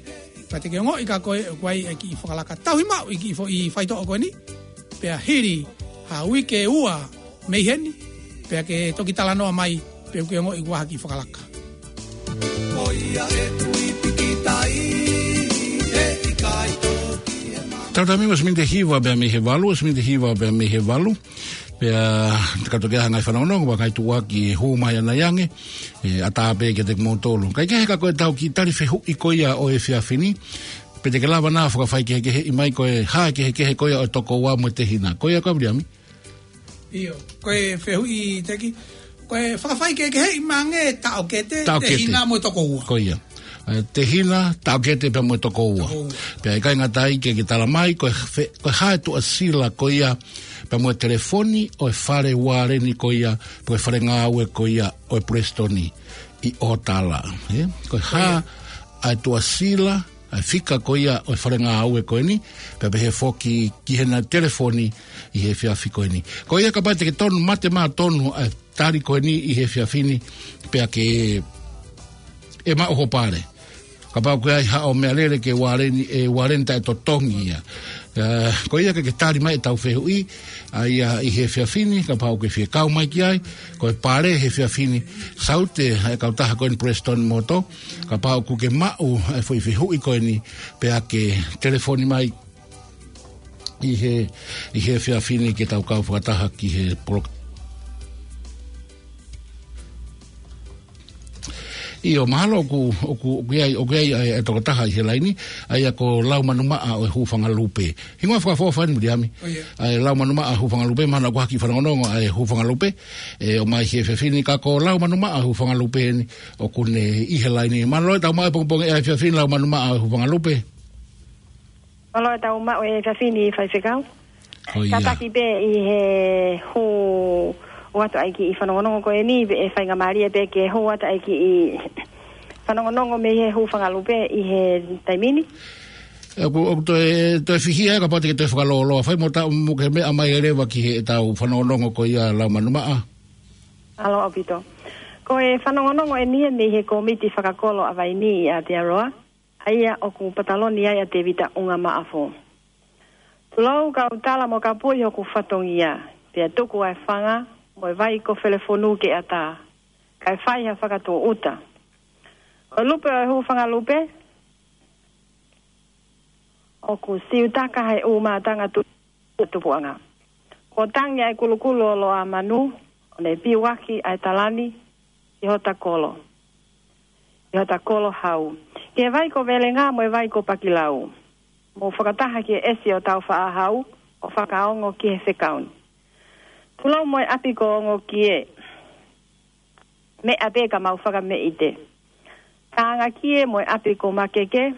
Pea te ke ongoʻi kia koe ʻoku ʻi ai e kiʻi fakalaka. Tauhi maʻu e kiʻi foʻi faitoʻo ko eni, pea hili ha uike ʻe ua mei heni, pea ke toki talanoa mai, pe ʻoku ke ongoʻi ʻoku ʻi ai ha kiʻi fakalaka. Ko ia ʻe kui pīkitai, ʻe ʻikai toki ʻe ma- Tautautefito mei he miniti ʻe hiva pea mei he valu, ʻa e miniti ʻe hiva pea mei he valu. Pea, ka toki ʻi ai ha ngaahi fanongonongo, ʻa e ngaahi tuʻuaki ʻe hū mai ʻanai ange, ʻe ʻatā pē kiate kimoutolu. Kae kehe ka ko ʻetau kiʻi tali fehuʻi ko ia ʻo e efiafi ni, pe te ke lava nai ʻo fakafaikehekeheʻi mai ko e hā e kehekehe ko ia ʻo e tokoua mo e tehina. Ko ia ko Viliami? ʻIo, ko e fehuʻi teki, ko e fakafaikehekeheʻi mai ange taʻokete, taʻokete, tehina mo e tokoua. Ko ia. ʻE, tehina, taʻokete pea mo e tokoua. Tokoua. Pea ʻikai ngata ai ke, ke tala mai, ko e fe-, ko e hā e tuʻasila ko ia, pea mo e telefoni ʻo e fale ualeni ko ia, pe ko e fale ngāue ko ia ʻo e Palesiteni ʻi ʻOtala. ʻE? Ko e hā, ko ia, ʻa e tuʻasila, ʻa e fika ko ia ʻo e fale ngāue ko eni, pea pehē foki ki heʻena telefoni ʻi he efiafi ko eni. Ko ia kapau te ke tonu mate mā tonu ʻa e tali ko eni ʻi he efiafi ni, pea ke ʻe maʻu ho pale. Kapau ko e ʻi ai haʻo meʻalele ke ualeni, ʻe ualeni taʻetotongi ia. ʻE, ko ia ke ke tali mai ʻetau fehuʻi, ʻa ia ʻi he efiafi ni, kapau ke fie kau mai ki ai, ko e pale he efiafi ni, saute ʻa e kautaha ko eni Palesiteni Moto, kapau ʻoku ke maʻu ʻa e foʻi fehuʻi ko eni, pea ke telefoni mai ʻi he, ʻi he efiafi ni ke tau kau fakataha ki he polok-. ʻIo, mahalo ʻoku, ʻoku, ʻoku ʻi ai, ʻoku ʻi ai ʻa e, ʻa e tokotaha ʻi he laini, ʻa ia ko Laumanumaʻa ʻo e Hūfangalupe. Hingoa fakaʻofoʻofa eni Viliami. ʻIo. ʻA e Laumanumaʻa Hūfangalupe, mahalo ʻoku ʻi ai ha kiʻi fanongonongo ʻa e Hūfangalupe, ʻe ʻomai he efiafi ni, ka ko Laumanumaʻa Hūfangalupe eni, ʻoku ne ʻi he laini. Mālō e tau maʻu e pongipongi ʻa e efiafi ni Laumanumaʻa Hūfangalupe. Mālō e tau maʻu e efiafi ni Faifekau. Ko ia. Kātaki pē ʻi he hū atu ʻa e kiʻi fanongonongo ko eni, pea ʻe faingamālie pē ke hū atu ʻa e kiʻi fanongonongo mei he Hūfangalupe ʻi he taimi ni. ʻOku, ʻoku toe, toe fihia kapau te ke toe fakalōloa. Fai mo ta, mo ke meʻa mai leva ki heʻetau fanongonongo ko ia Laumanumaʻa. Mālō ʻaupito. Ko e fanongonongo eni ia mei he Kōmiti Fakakolo ʻa Vainī ʻi Aotearoa, ʻa ia ʻoku pataloni ai ʻa Tēvita ʻUngamaʻafu. Tulou kau tala mo kapui hoku fatongia, pea tuku ʻa e fanga mo e vai ko Felefonu ke ʻatā, kae fai ha fakatūʻuta. Ko e lupe ʻo e Hūfangalupe, ʻoku siutaka he ʻū mātanga tu-, tupuʻanga. Kuo tangi ʻa e kulukulu ʻo Loʻamanu, ʻo ne piuaki ʻa e tala ni ʻi hota kolo, ʻi hota kolo hau, ki he vai ko Velenga mo e vai ko Pakilau. Mou fakataha ki he ʻesi ʻo Tāufaʻāhau, ʻo fakaongo ki he fekau ni. Tulou mo e ʻapi ko Ongokie, meʻa pē ka mau fakameʻite. Tāngakie mo e ʻapi ko Makeke,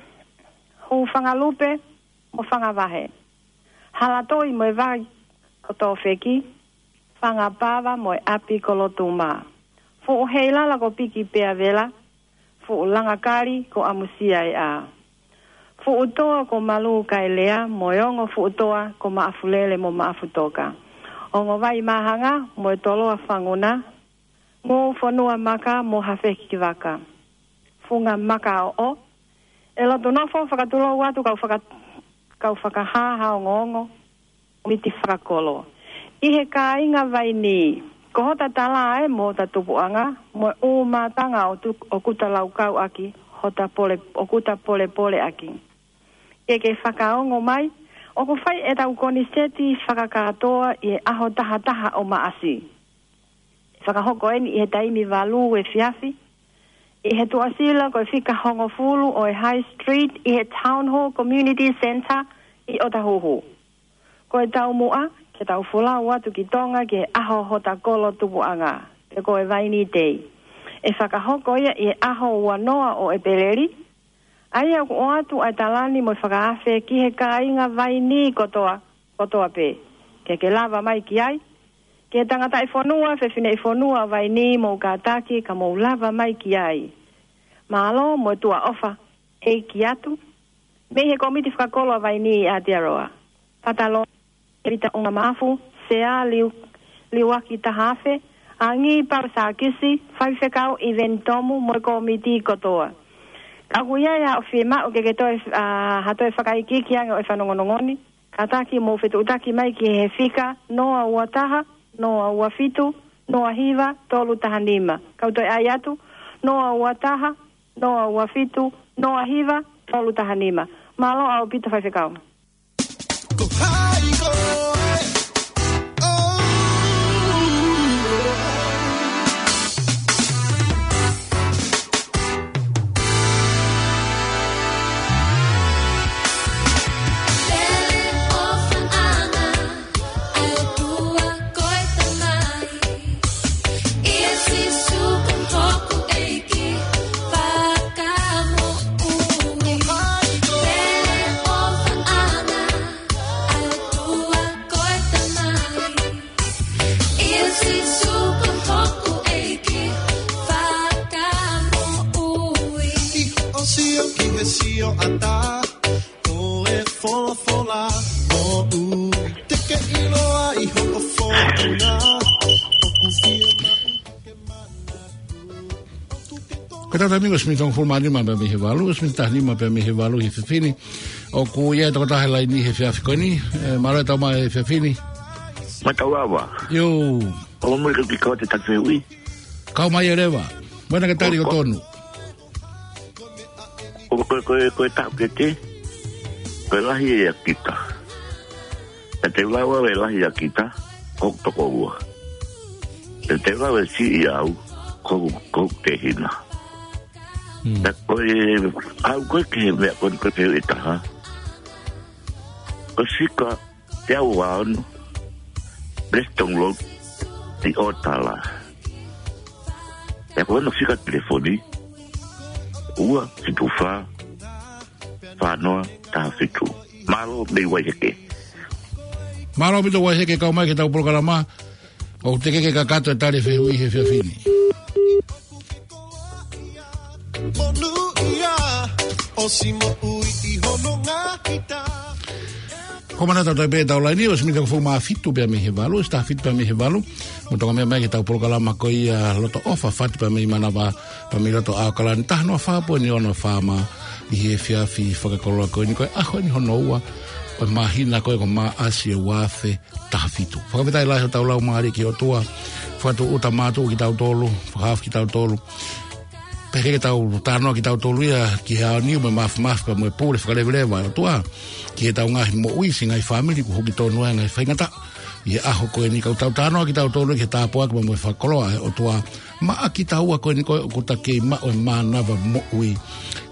Hūfangalupe mo Fangavahe. Halatoi mo e vai ko Tōfeki, Fangapava mo e ʻapi ko Lotuma. Fuʻu Heilala ko Piki pea Vela, Fuʻu Langakali ko ʻAmusia ʻEa. Fuʻu Toa ko Malu Kaelea, mo e ongo Fuʻu Toa ko Maʻafulele mo Maʻafutoka. Ongo Vai Māhanga, mo e Toloa Fanguna, Ngū Fonua Maka mo Hafekivaka. Funga Makaoʻo. ʻE lotu nofo fakatulou atu kau faka-, kau fakahā ha ongoongo Kōmiti Fakakolo. ʻI he kāinga Vainī, ko hota tala ē mo hota tupuʻanga, mo e ʻū mātanga ʻo tu-, ʻoku ta laukau ʻaki, hota pole-, ʻoku ta polepole ʻaki. Ke ke fakaongo mai, ʻoku fai ʻetau koniseti fakakātoa ʻi he ʻaho taha taha ʻo Maʻasi. Fakahoko eni ʻi he taimi valu efiafi, ʻi he tuʻasila ko e fika hongofulu ʻo e High Street, ʻi he Town Hall Community Centre ʻi ʻOtahuhu. Ko e taumuʻa, ke tau folau atu ki Tonga ki he ʻaho hota kolo tupuʻanga, pe ko e Vainī Day. ʻE fakahoko ia ʻi he ʻaho ua noa ʻo ʻEpeleli, ʻa ia ʻoku ʻoatu ʻa e tala ni mo e fakaafe ki he kāinga Vainī kotoa, kotoa pē. Ke ke lava mai ki ai, ki he tangataʻifonua, fefineʻifonua ʻo Vainī mou kātaki ka mou lava mai ki ai. Mālō mo e tuʻa ʻofa, ʻEiki atu. Mei he Kōmiti Fakakolo ʻa Vainī ʻi Aotearoa. Pataloni Tēvita ʻUngamaʻafu, Sea Liu-, Liuaki Tahaafe, Angi Pau Sākisi, Faifekau ʻIveni Tomu mo e kōmiti kotoa. Ka ʻoku ʻi ai haʻo fiemaʻu ke ke toe, ʻa, ha toe fakaikiiki ange ʻo e fanongonongo ni, kātaki mou fetuʻutaki mai ki he fika noa ua taha, noa ua fitu, noa hiva, tolu taha nima. Kau toe ʻai atu, noa ua taha, noa ua fitu, noa hiva, tolu taha nima. Mālō ʻaupito Faifekau. Ko hai koe? Oh. Pele ʻofaʻanga, ʻa e ʻOtua ko e Tamai. ʻIa Sīsū ko hoku ʻEiki, fakamoʻui. Pele ʻofaʻanga, ʻa e ʻOtua ko e Tamai. ʻIa Sīsū ko hoku ʻEiki, fakamoʻui. ʻI hoʻo sio ki he sioʻata ʻo e folofola, moʻui te ke ʻiloa ʻi hoʻo fōtunga. ʻOku fiemaʻu ke manatu. Ko ʻetau taimi ko e ʻosi miniti hongofulu mā nima pea mei he valu, ʻosi miniti taha nima pea mei he valu he efiafi ni. ʻOku ʻi ai e tokotaha he laini he efiafi ko eni. ʻE, mālō e tau mai he efiafi ni. Mālō e tau ava. ʻIo. ʻOku mui ke piko te tatu e ui. Kau mai e leva. Mena ke tali ʻo tonu. Ko, ko, ko, ko e taʻokete, ko e lahi ʻia kita. ʻE te u lava ʻo e lahi ʻia kita, ko hoku tokoua. ʻE te u lava ʻo e siʻi au, ko, ko hoku tehina. Hmm. Pea ko e, ʻalu ko ē ki he meʻa ko eni ko e fehuʻi ʻe taha. Ko e fika teau ua ono, press download, ʻi ʻo tala. Pea ko hono fika telefoni, ua fitu fā, fā noa taha fitu. Mālō mei Vaiheke. Mālō ʻaupito Vaiheke, kau mai ki heʻetau polokalama. ʻOku teʻeki ke kakato e tali e fehuʻi he efiafi ni. Monūʻia, ʻosi moʻui ʻi hono ngaahi tā. Ko e mana tau tai pē ʻetau laini, ʻosi miniti hongofulu mā fitu pea mei he valu, ʻosi taha fitu pea mei he valu. Mou toki meʻa mai ki heʻetau polokalama ko ia Loto ʻOfa, fatu pea mei Manava, pea mei loto ʻAokalani, taha noa fā poini ono FM, ʻi he efiafi fakakoloa ko eni, ko e ʻaho eni hono ua ʻo e māhina ko ē ko Maʻasi ʻo e ua afe taha fitu. Fakafetaʻi lahi hotau laumālie ki he ʻOtua, fakatūʻuta mātuʻa kitautolu, fakahaofi kitautolu. Pea ke tau talanoa kitautolu ia ki he ʻaho ni mo e māfimafi pea mo e pule fakaleveleva ʻa e ʻOtua ki heʻetau ngaahi moʻui, siʻi ngaahi fāmili kuo hoko tonu ai e ngaahi faingataʻa. ʻI he ʻaho ko eni ka tau talanoa kitautolu ki he tāpuaki pea mo e fakakoloa ʻa e ʻOtua maʻa kitaua ko eni ko ē ʻoku ta kei maʻu e mānava moʻui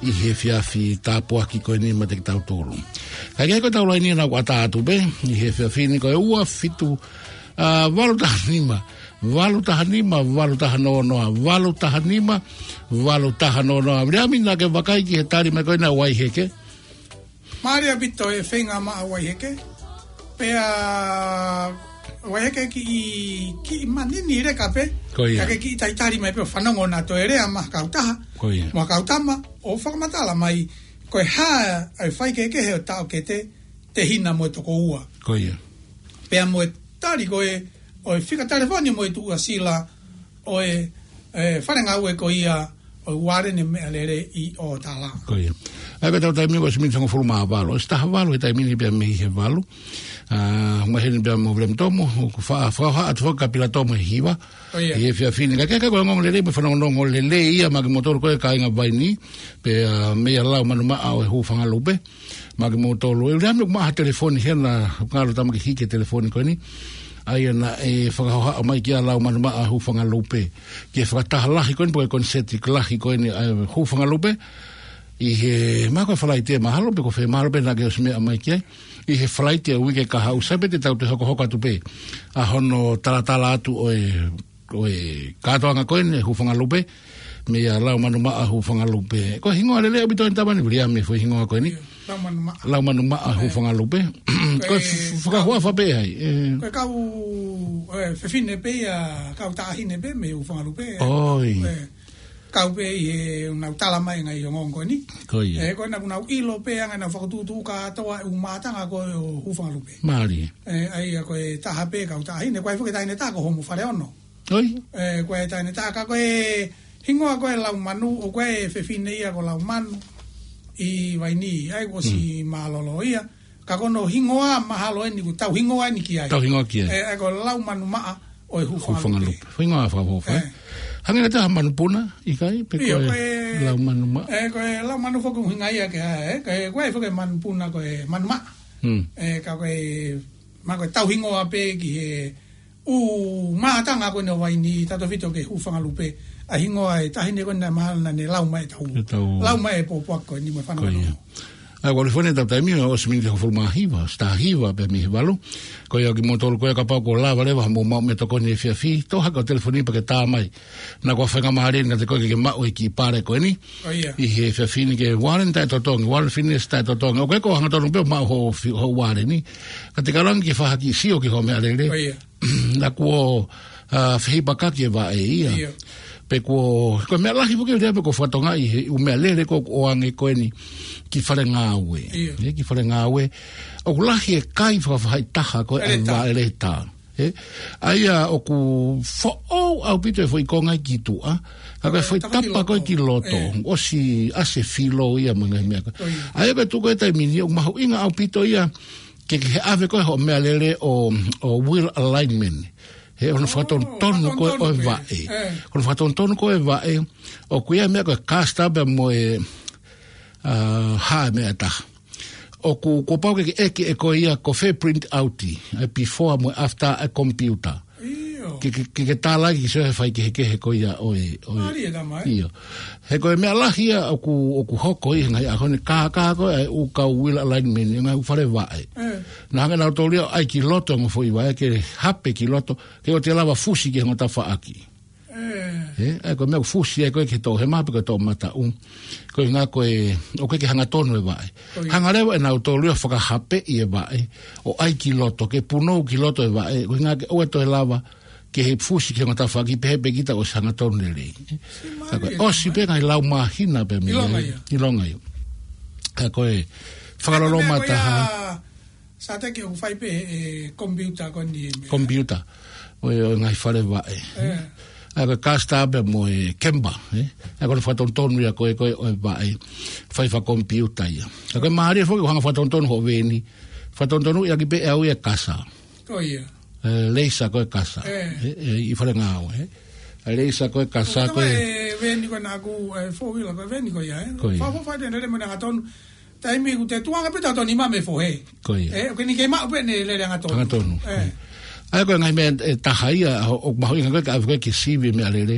ʻi he efiafi tāpuaki ko eni maʻa kitautolu. Kae kehe ko ʻetau laini ʻoku ʻatā atu pē ʻi he efiafi ni ko e ua fitu, ā, valu taha nima, valu taha nima, valu taha noa noa, valu taha nima, valu taha noa noa. Viliami, naʻa ke vakai ki he tali mai ko ena ʻa Vaiheke. Mālie ʻaupito e feinga maʻa Vaiheke. Pea Vaiheke kiʻi, kiʻi manini leka pē. Ko ia. Ka ke kiʻi talitali mai pē ʻo fanongo naʻa toe lea maʻa e kautaha. Ko ia. Mo e kau tama, ʻo fakamatala mai ko e hā e faikehekehe ʻo e taʻokete, tehina mo e tokoua. Ko ia. Pea mo e tali ko ē ʻo e fika telefoni mo e tuʻasila ʻo e, e, fale ngāue ko ia ʻo e Ualele Meʻalele ʻi ʻo tala. Ko ia. ʻA ia ko ʻetau taimi ko e ʻosi miniti hongofulu mā valu. ʻOsi taha valu he taimi ni pea mei he valu. Ā, maheni pea mo Viliami Tomo, ʻoku fa-, fakahohaʻa atu foki kia Pila Tomo he hiva. Ko ia. ʻI he efiafi ni. Kae kehe ko e ongoongolelei mo e fanongonongo lelei ia maʻa kimoutolu ko ē kāinga Vaini, pea, ā, meia Lau Manumaʻa ʻo e Hūfangalupe. Maʻa kimoutolu. ʻE Viliami, ʻoku maʻu ha telefoni hena, ngalo tama ke hiki e telefoni ko eni. ʻA ia naʻe fakahohaʻa mai kia Lau Manumaʻa Hūfangalupe ki he fakataha lahi ko eni, pe ko e koniseti lahi ko eni ʻa e Hūfangalupe. ʻI he, mahalo ko e Falaite mahalo, pe ko fē mahalo pē naʻa ke ʻosi meʻa mai ki ai. ʻI he Falaite ʻo e uike kahaʻu, sai pē te tau toe hokohoko atu pē ʻa hono talatala atu ʻo e ʻo e kātoanga ko eni ʻa e Hūfangalupe, meia Lau Manumaʻa Hūfangalupe. Ko e hingoa lelei ʻaupito eni tama ni, Viliami, foʻi hingoa ko eni. ʻIo, Lau Manumaʻa. Lau Manumaʻa Hūfangalupe. Ko e, ko e f-, fakahuafa pē ai. ʻE, ko e kau, ʻe, fefine pē ia, kau taʻahine pē mei Hūfangalupe. ʻOi. ʻE, kau pē ʻi heʻenau tala mai e ngaahi ongoongo ko eni. Ko ia. ʻE, ko ʻenau, ʻenau ʻilo pē ʻa e ngaahi, ʻenau fakatuʻutuʻu kātoa e ʻū mātanga ko ē ʻo Hūfangalupe. Mālie. ʻE, ʻa ia ko e taha pē kau taʻahine, ko e foʻi taʻahine taha ko Homo Faleono. ʻOi. ʻE, ko e taʻahine taha ka ko e hingoa ko ē Laumanu, ʻoku ʻi ai e fefine ia ko Laumanu ʻi Vaini, ʻa ia kuo ʻosi mālōlō ia. Ka ko hono hingoa mahalo eni ʻoku tau hingoa eni ki ai. Tau hingoa ki ai. ʻE, ʻa ia ko Laumanumaʻa ʻo e Hūfangalupe. Hūfangalupe. Hingoa fakahohaʻa. ʻE. Hangē ko e taha manupuna, ʻikai, pe ʻIo, ko e ko e Laumanumaʻa. ʻE, ko e Laumanu foki ʻuhinga ia ke, ʻe, ko e, ko e foki manupuna ko e Manumaʻa. Mm. ʻE, ka ko e, ma ko e tau hingoa pē ki he ʻū mātanga ko eni ʻo Vaini, tautefito ki he hūfanga lupe. ʻA e hingoa ʻo e taʻahine ko eni naʻe mahalo naʻa ne lau mai e tau. E tau. Lau mai e pōpoaki ko eni mo e fanongo. Ko ia. ʻA ia, ʻoku ou lifone tau taimi, ʻosi miniti hongofulu mā hiva, ʻosi tā hiva pē mei he valu. Ko ia kimoutolu ko ē kapau kuo lava leva haʻamou maʻu meʻatokoni he efiafi, toʻo hake ho telefoni pea ke tā mai. Naʻa ko e faingamālie eni kiate koe ke ke maʻu e kiʻi pale ko eni. Ko ia. ʻI he efiafi ni ki he Warren taʻetotongi, Warren Fitness taʻetotongi. ʻOku ʻikai ko e hangatonu pē ʻoku maʻu ho fi-, ho Warren ni. Ka te ke lava ange ke fai ha kiʻi sio ki hoʻo meʻalele. Ko ia. Naʻa kuo, ʻa, fehipakaki e vaʻe ia. Ia. Pea kuo, ko e meʻa lahi foki leva pē kuo fakatokangaʻi he ʻū meʻalele ko ē ʻoku ʻoange ko eni ki fale ngāue. Ia. Ē, ki fale ngāue. ʻOku lahi e kai fakafaʻahitaha ko ē ʻa e Vaʻeleta. Vaʻeleta. Ē, ʻa ia ʻoku foʻou ʻaupito e foʻi konga ki tuʻa, ka ko e foʻi tapa ko ē ki loto, ē, ʻosi ʻasi e filo ia mo e ngaahi meʻa ko ē. Ko ia. ʻA ia ko e tuʻu ko ē taimi ni ʻoku mahuʻinga ʻaupito ia ke, ke ʻave ko ē hoʻo meʻalele ʻo, ʻo wheel alignment. He ʻoku fakatonutonu ko ē ʻo e vaʻe. Ē. ʻOku fakatonutonu ko ē vaʻe, ʻoku ʻi ai e meʻa ko e caster pea mo e, ʻa, hā e meʻa ʻe taha. ʻOku, kuo pau ke ke ʻeke ʻe koe ia ko fē print out, ʻa e before mo e after ʻa e computer. ʻIo. Ke, ke, ke, ke tālaki ki he faikehekehe ko ia ʻo e, ʻo e. Mālie tama, ē? ʻIo. He ko e meʻa lahi ia ʻoku, ʻoku hoko ʻi he ngaahi ʻaho ni, kākā ko ē ʻū kau wheel alignment, ʻi he ngaahi fale vaʻe. Ē. Naʻa hanga ʻe nautolu ia ʻo ʻai ki loto e ongo foʻi vaʻe, ke hape ki loto, ke ʻoua te lava fusi ki he ongo tafaʻaki. Ē. Ē, ʻa ia ko e meʻa ʻoku fusi ai ko ē ki he toʻohema pe ko e toʻomataʻu. Ko e ʻuhinga ko e, ʻoku ʻikai ke hangatonu e vaʻe. Ko ia. Hanga leva ʻe nautolu ia ʻo fakahapeʻi e vaʻe, ʻo ʻai ki loto, ke punou ki loto e vaʻe, ko e ʻuhinga ke ʻoua toe lava ke fusi ki he ongo tafaʻaki pehē pē kita ʻosi hangatonu lelei. Ka ko e ʻosi pē ngaahi lau māhina pē mei ai. ʻIlonga ia. ʻIlonga ia. Ka ko e fakaloloma taha. Sa te ke u fai pē e computer ko eni e meʻa. Computer. ʻO e, ʻo e ngaahi fale vaʻe. Ē. ʻA ia ko e caster pea mo e camber, ē. ʻA ia ko e fakatonutonu ia ko ē, ko ē ʻo e vaʻe. Fai fakakomipiuta ia. ʻA ia ko e mālie foki ʻoku hanga ʻo fakatonutonu hoʻo veeni. Fakatonutonu ia ki pē ʻe au ia e kasa. Ko ia. Ē, laser ko e kasa. Ē. Ē, ē, ʻi fale ngāue, ē. Laser ko e kasa ko e. Ko e veeni ko ē naʻa ku, ē, four wheeler ko e veeni ko ia, ē. Ko ia. Fa, fa, fa, te nele mo ne hangatonu. Taimi ʻoku te tuanga pē tau toni ma me fohe. Ko ia. Ē, ʻoku ʻikai ke ne kei maʻu pē ʻene lele hangatonu. Hangatonu. Ē. ʻA ia ko e ngaahi meʻa ʻe taha ia, ʻo, ʻoku mahuʻinga ko ē ke ʻave ko ē ki he sivi e meʻalele,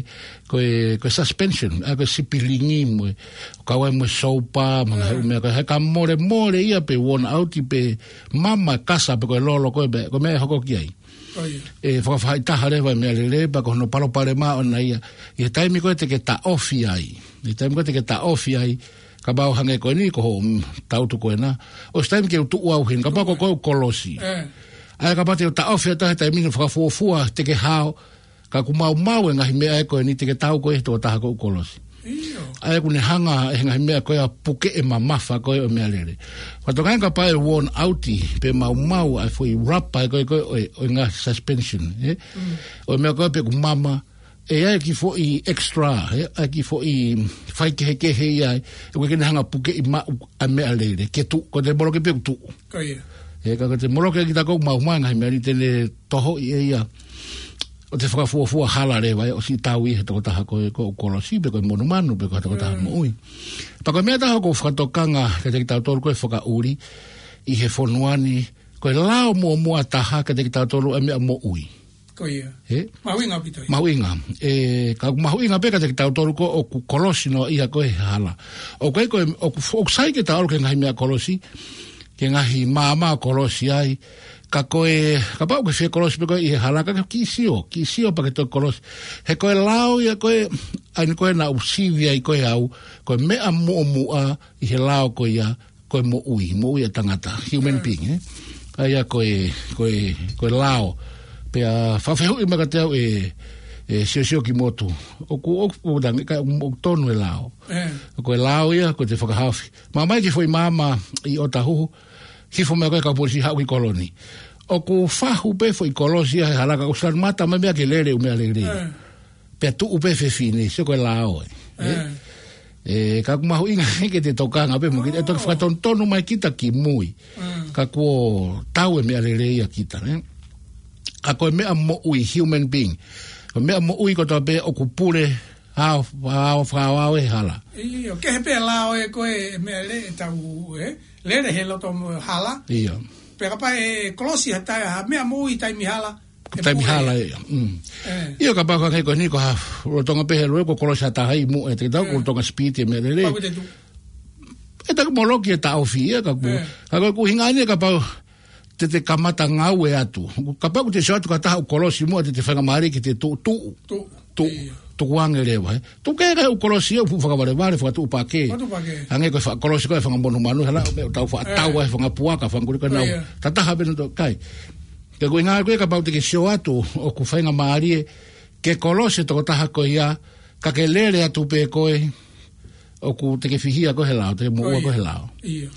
ko e, ko e suspension, ʻa ia ko e sipilingi mo e, kau ai mo e soupa, mo e ngaahi meʻa ko ē, he ka molemole ia pe worn out pe mama e kasa pe ko e lolo ko ē, pe ko e meʻa ʻe hoko ki ai. Ko ia. ʻE fakafaʻahitaha leva e meʻalele, pea ko hono palopalema ʻoʻona ia. ʻI he taimi ko ē te ke taʻofi ai. ʻI he taimi ko ē te ke taʻofi ai, kapau hangē ko eni ko hoʻo, mm, tautu ko ena. ʻOsi taimi ke u tuʻu au heni, kapau ko, ko e kolosi. Ē. ʻA ia kapau te u taʻofi atu he taimi ni fakafuofua, te ke hao, ka ʻoku maumau e ngaahi meʻa ē ko eni te ke tau ko ē he tokotaha ko ē ʻoku kolosi. ʻIo. ʻA ia ʻoku ne hanga ʻe he ngaahi meʻa ko ē ʻo puke e mamafa ko ē ʻo e meʻalele. Fakatokangaʻi kapau ʻe worn out, pe maumau ʻa e foʻi rubber ko ē ko ē ʻo e, ʻo e ngaahi suspension, ē? Mm. ʻO e meʻa ko ē pe ʻoku mama, ʻe ʻi ai e kiʻi foʻi extra, ē? ʻA e kiʻi foʻi faikehekehe ia, ē? ʻOku ʻikai ke ne hanga ʻo pukeʻi maʻu ʻa e meʻalele, ke tuʻu, ko e te moloki pē ʻoku tuʻu. Ko ia. Ē, ka ko e te moloki kita ʻoku maumau e ngaahi meʻa ni te ne tohoʻi ʻe ia. ʻO te fakafuofua hala leva ē, ʻosi tau ʻi he tokotaha ko ē ʻoku kolosi pe ko e monumanu pe ko e tokotaha moʻui. Pea ko e meʻa ʻe taha ʻoku ou fakatokanga kiate kitautolu ko ē fakaʻuli ʻi he fonua ni, ko e lao muʻomuʻa taha kiate kitautolu ʻa e meʻa moʻui. Ko ia. Ē? Mahuʻinga ʻaupito ia. Mahuʻinga. Ē, ka ʻoku mahuʻinga pē kiate kitautolu ko ē ʻoku kolosi noaʻia ko ē he hala. ʻOku ʻikai ko e, ʻoku, ʻoku sai ke ta ʻalu ki he ngaahi meʻa kolosi, ki he ngaahi maama ʻo kolosi ai. Ka ko e, kapau ʻoku ke fie kolosi pē koe ʻi he hala, ka ke kiʻi sio, kiʻi sio pea ke toe kolosi. He ko e lao ia ko ē, ʻa eni ko ē naʻa ku sivi ai ko ē au, ko e meʻa muʻomuʻa ʻi he lao ko ia, ko e moʻui, moʻui ʻa e tangata, human being, ē? ʻA ia ko e, ko e, ko e lao. Pea fakafehuʻi mai kiate au ʻe, ʻe Siosio Kimotu. ʻOku, ʻoku, ʻoku tangi, ka ʻoku tonu e lao. Ē. Ko e lao ia, ko e te fakahaofi. Mamae ki he foʻi maama ʻi ʻOtahuhu, hifo mai ko ē kau polisi haʻu ki kolo ni. ʻOku fahu pē foʻi kolosi ia he hala ka ʻoku sio atu mata mai meʻa ke lele ʻū meʻalele. Ē. Pea tuʻu pē fefine, sio ko e lao ē. Ē. Ē. Ē, ka ʻoku mahuʻinga ke te tokanga pē mo kita, ʻe toki fakatonutonu mai kita ki mui. Ē. Ka kuo tau e meʻalele ia kita, ē. Ka ko e meʻa moʻui, human being. Ko e meʻa moʻui kotoa pē ʻoku pule Hao, hao, hao, hao e hala. ʻIo, kehe pē lao ʻe ko e meʻalele ʻe tau, ē? Lele he loto mo hala. ʻIo. Pea kapau ʻe kolosi ha taha, ha meʻa moʻui taimi hala. ʻE Taimi moʻui. hala, ʻio. Mm. Ē. ʻIo, kapau ko e hangē ko eni ko ha lolotonga pē he lue ko e kolosi ha taha ʻi muʻa, ʻe te tau Ē. ko e lolotonga speed e meʻalele. Pau ke te tu. ʻE taku moloki e taʻofi ia ka ku. Ē. Ka ko e ʻuhinga eni kapau te te kamata ngāue atu. Kapau ʻoku te sio atu ki ha taha ʻoku kolosi muʻa te te faingamālie ke te tuʻu, tuʻu. Tuʻu. Tuʻu. ʻIo. Tukuange leva, ē. Tuku ke ʻoku kolosi ia ʻoku fakavalevale, fakatuʻupakē. Fakatuʻupakē. Hangē ko e fakakolosi ko e fanga monumanu, hala, ʻo meʻa ʻo tau faʻa Ē. tau ai fanga puaka, fanga kulika nau. ʻIo. Tataha pē nautolu, kai. Ke ʻuhinga ko e kapau te ke sio atu, ʻoku faingamālie, ke kolosi e tokotaha ko ia, ka ke lele atu pē koe, ʻoku te ke fihia koe he lao, te ke moʻua Ko ia. koe he lao. ʻIo.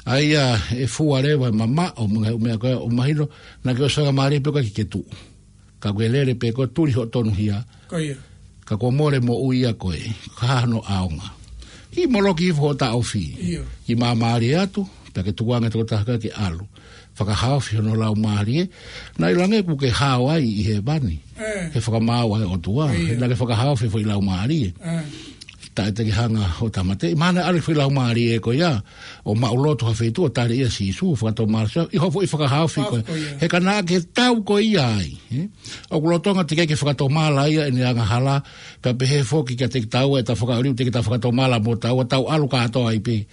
ʻA ia ʻe fua leva, mamaʻo, mo e ngaahi meʻa ko ē, ʻo mahino, naʻa ke ʻosi faingamālie pē koe ke ke tuʻu. Ka ke lele pē koe, tuli hoʻo tonuhia. Ko ia. Ka kuo mole moʻui ia ko ē, ka hano ʻaonga. ʻI moloki hifo hoʻo taʻofi. ʻIo. ʻI māmālie atu, pea ke tukuange e tokotaha ko ē ke ʻalu. Fakahaofi hono laumālie, naʻe ʻiloange ʻoku ke hao ai ʻi hēvani. Ē. Ke fakamaau ai ʻOtua, ʻIo. naʻa ke fakahaofi foʻi laumālie. Ē. Taʻe te ke hanga ʻo tāmateʻi. Mahalo naʻe ʻalu foʻi laumālie ko ia, ʻo maʻuloto ha feituʻu ʻo tali ʻe Sīsū, fakatomala Sīsū, ʻi hoʻo foʻi fakahaofi Haofi ko ia. ko ia. He ka naʻa ke tau ko ia ai, ē? ʻOku lolotonga teʻeki ke fakatomala ia ʻene angahala, pea pehē foki kiate kitaua ʻe ta fakaʻaliu teʻeki ta fakatomala mo taua, tau ʻalu kātoa ai pē.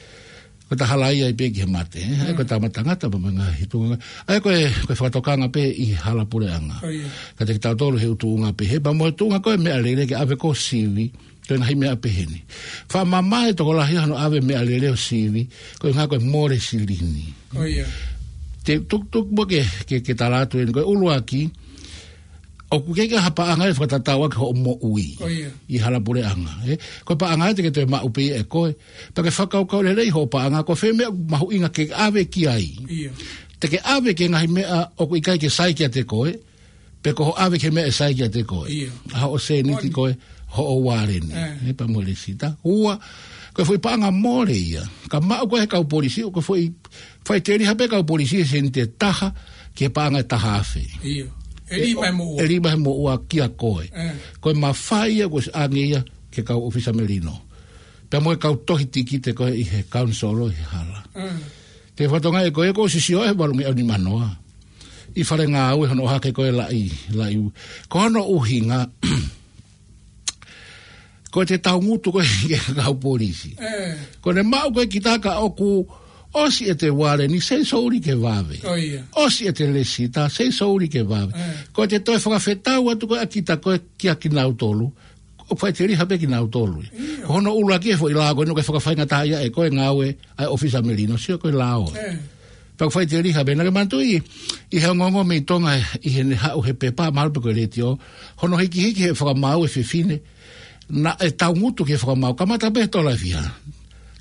Ko e ta hala ia ai pē ki he mate, ē? ʻA ia ko e Mm. tāmate tangata pea mo e ngaahi tuʻunga. ʻA ia ko e, ko e fakatokanga pē ʻi hala puleʻanga. Ko ia. Kiate kitautolu he ʻū tuʻunga pehē, pea mo e tuʻunga ko e meʻalele ke ʻave ko e sivi, ko e ngaahi meʻa pehē ni. Faʻa mamae tokolahi hano ʻave meʻalele ʻo sivi, ko e ʻuhinga ko e mole silini. Ko ia. Te tukutuku mo ke, ke, ke tala atu eni, ko e ʻuluaki, ʻoku ʻikai ke ʻi ai ha paʻanga ʻe fakatatau ʻaki hoʻo moʻui. Ko ia. ʻI hala puleʻanga, ē? Ko e paʻanga ʻe te ke toe maʻu pē ʻe koe. Pea ke fakakaukau lelei hoʻo paʻanga, ko fē meʻa mahuʻinga ke ʻave ki ai. ʻIo. Te ke ʻave ki he ngaahi meʻa ʻoku ʻikai ke sai kiate koe, pe ko hoʻo ʻave ki he meʻa ʻe sai kiate koe. ʻIo. ʻA hoʻo sēniti Moʻoni. ko ē, hoʻo ualeni. Ē. Ē, pea mo e lēsita. Ua, ko e foʻi paʻanga mole ia. Ka maʻu ko ē he kau polisi, ʻoku foʻi, faʻiteliha pē kau polisi he sēniti ʻe taha, ki he paʻanga ʻe taha afe. ʻIo. ʻE lima he moʻua. ʻE lima he moʻua kia koe. Ē. Ko e mafai ia, ko e ʻange ia, ki he kau ʻōfisa melino. Pea mo e kau tohi tikite ko ē ʻi he kaunisolo ʻi he hala. Ē. Te u fakatokangaʻi ko ē ʻoku ou sio he valungeau nimanoa. ʻI fale ngāue hono ʻohake ko ē laʻi, laʻi. Ko hono ʻuhinga, ko e te taungutu ko ē ki he kau polisi. Ē. Ko ʻene maʻu ko ē kita ka ʻoku ʻosi ʻete ualeni, sei souli ke vave. ʻIo. ʻOsi ʻete lēsita, sei souli ke vave. Ē. Ko e te toe fakafetau atu ko ē ʻa kita ko ē kia kinautolu. ʻOku faʻiteliha pē kinautolu. ʻIo. Ko hono ʻuluaki e foʻi lao ko ē ʻoku fakafaingataʻaʻia ʻe ko e ngāue ʻa e ʻōfisa melino, sio ko e lao. Ē. Pea ʻoku faʻiteliha pē naʻa ke manatuʻi, ʻi he ongoongo mei Tonga ʻi heʻene haʻu he pepa, mahalo pē ko e letiō, hono hikihiki he fakamaau e fefine, naʻe taungutu ki he fakamaau, kamata pē he tola ʻe fiha.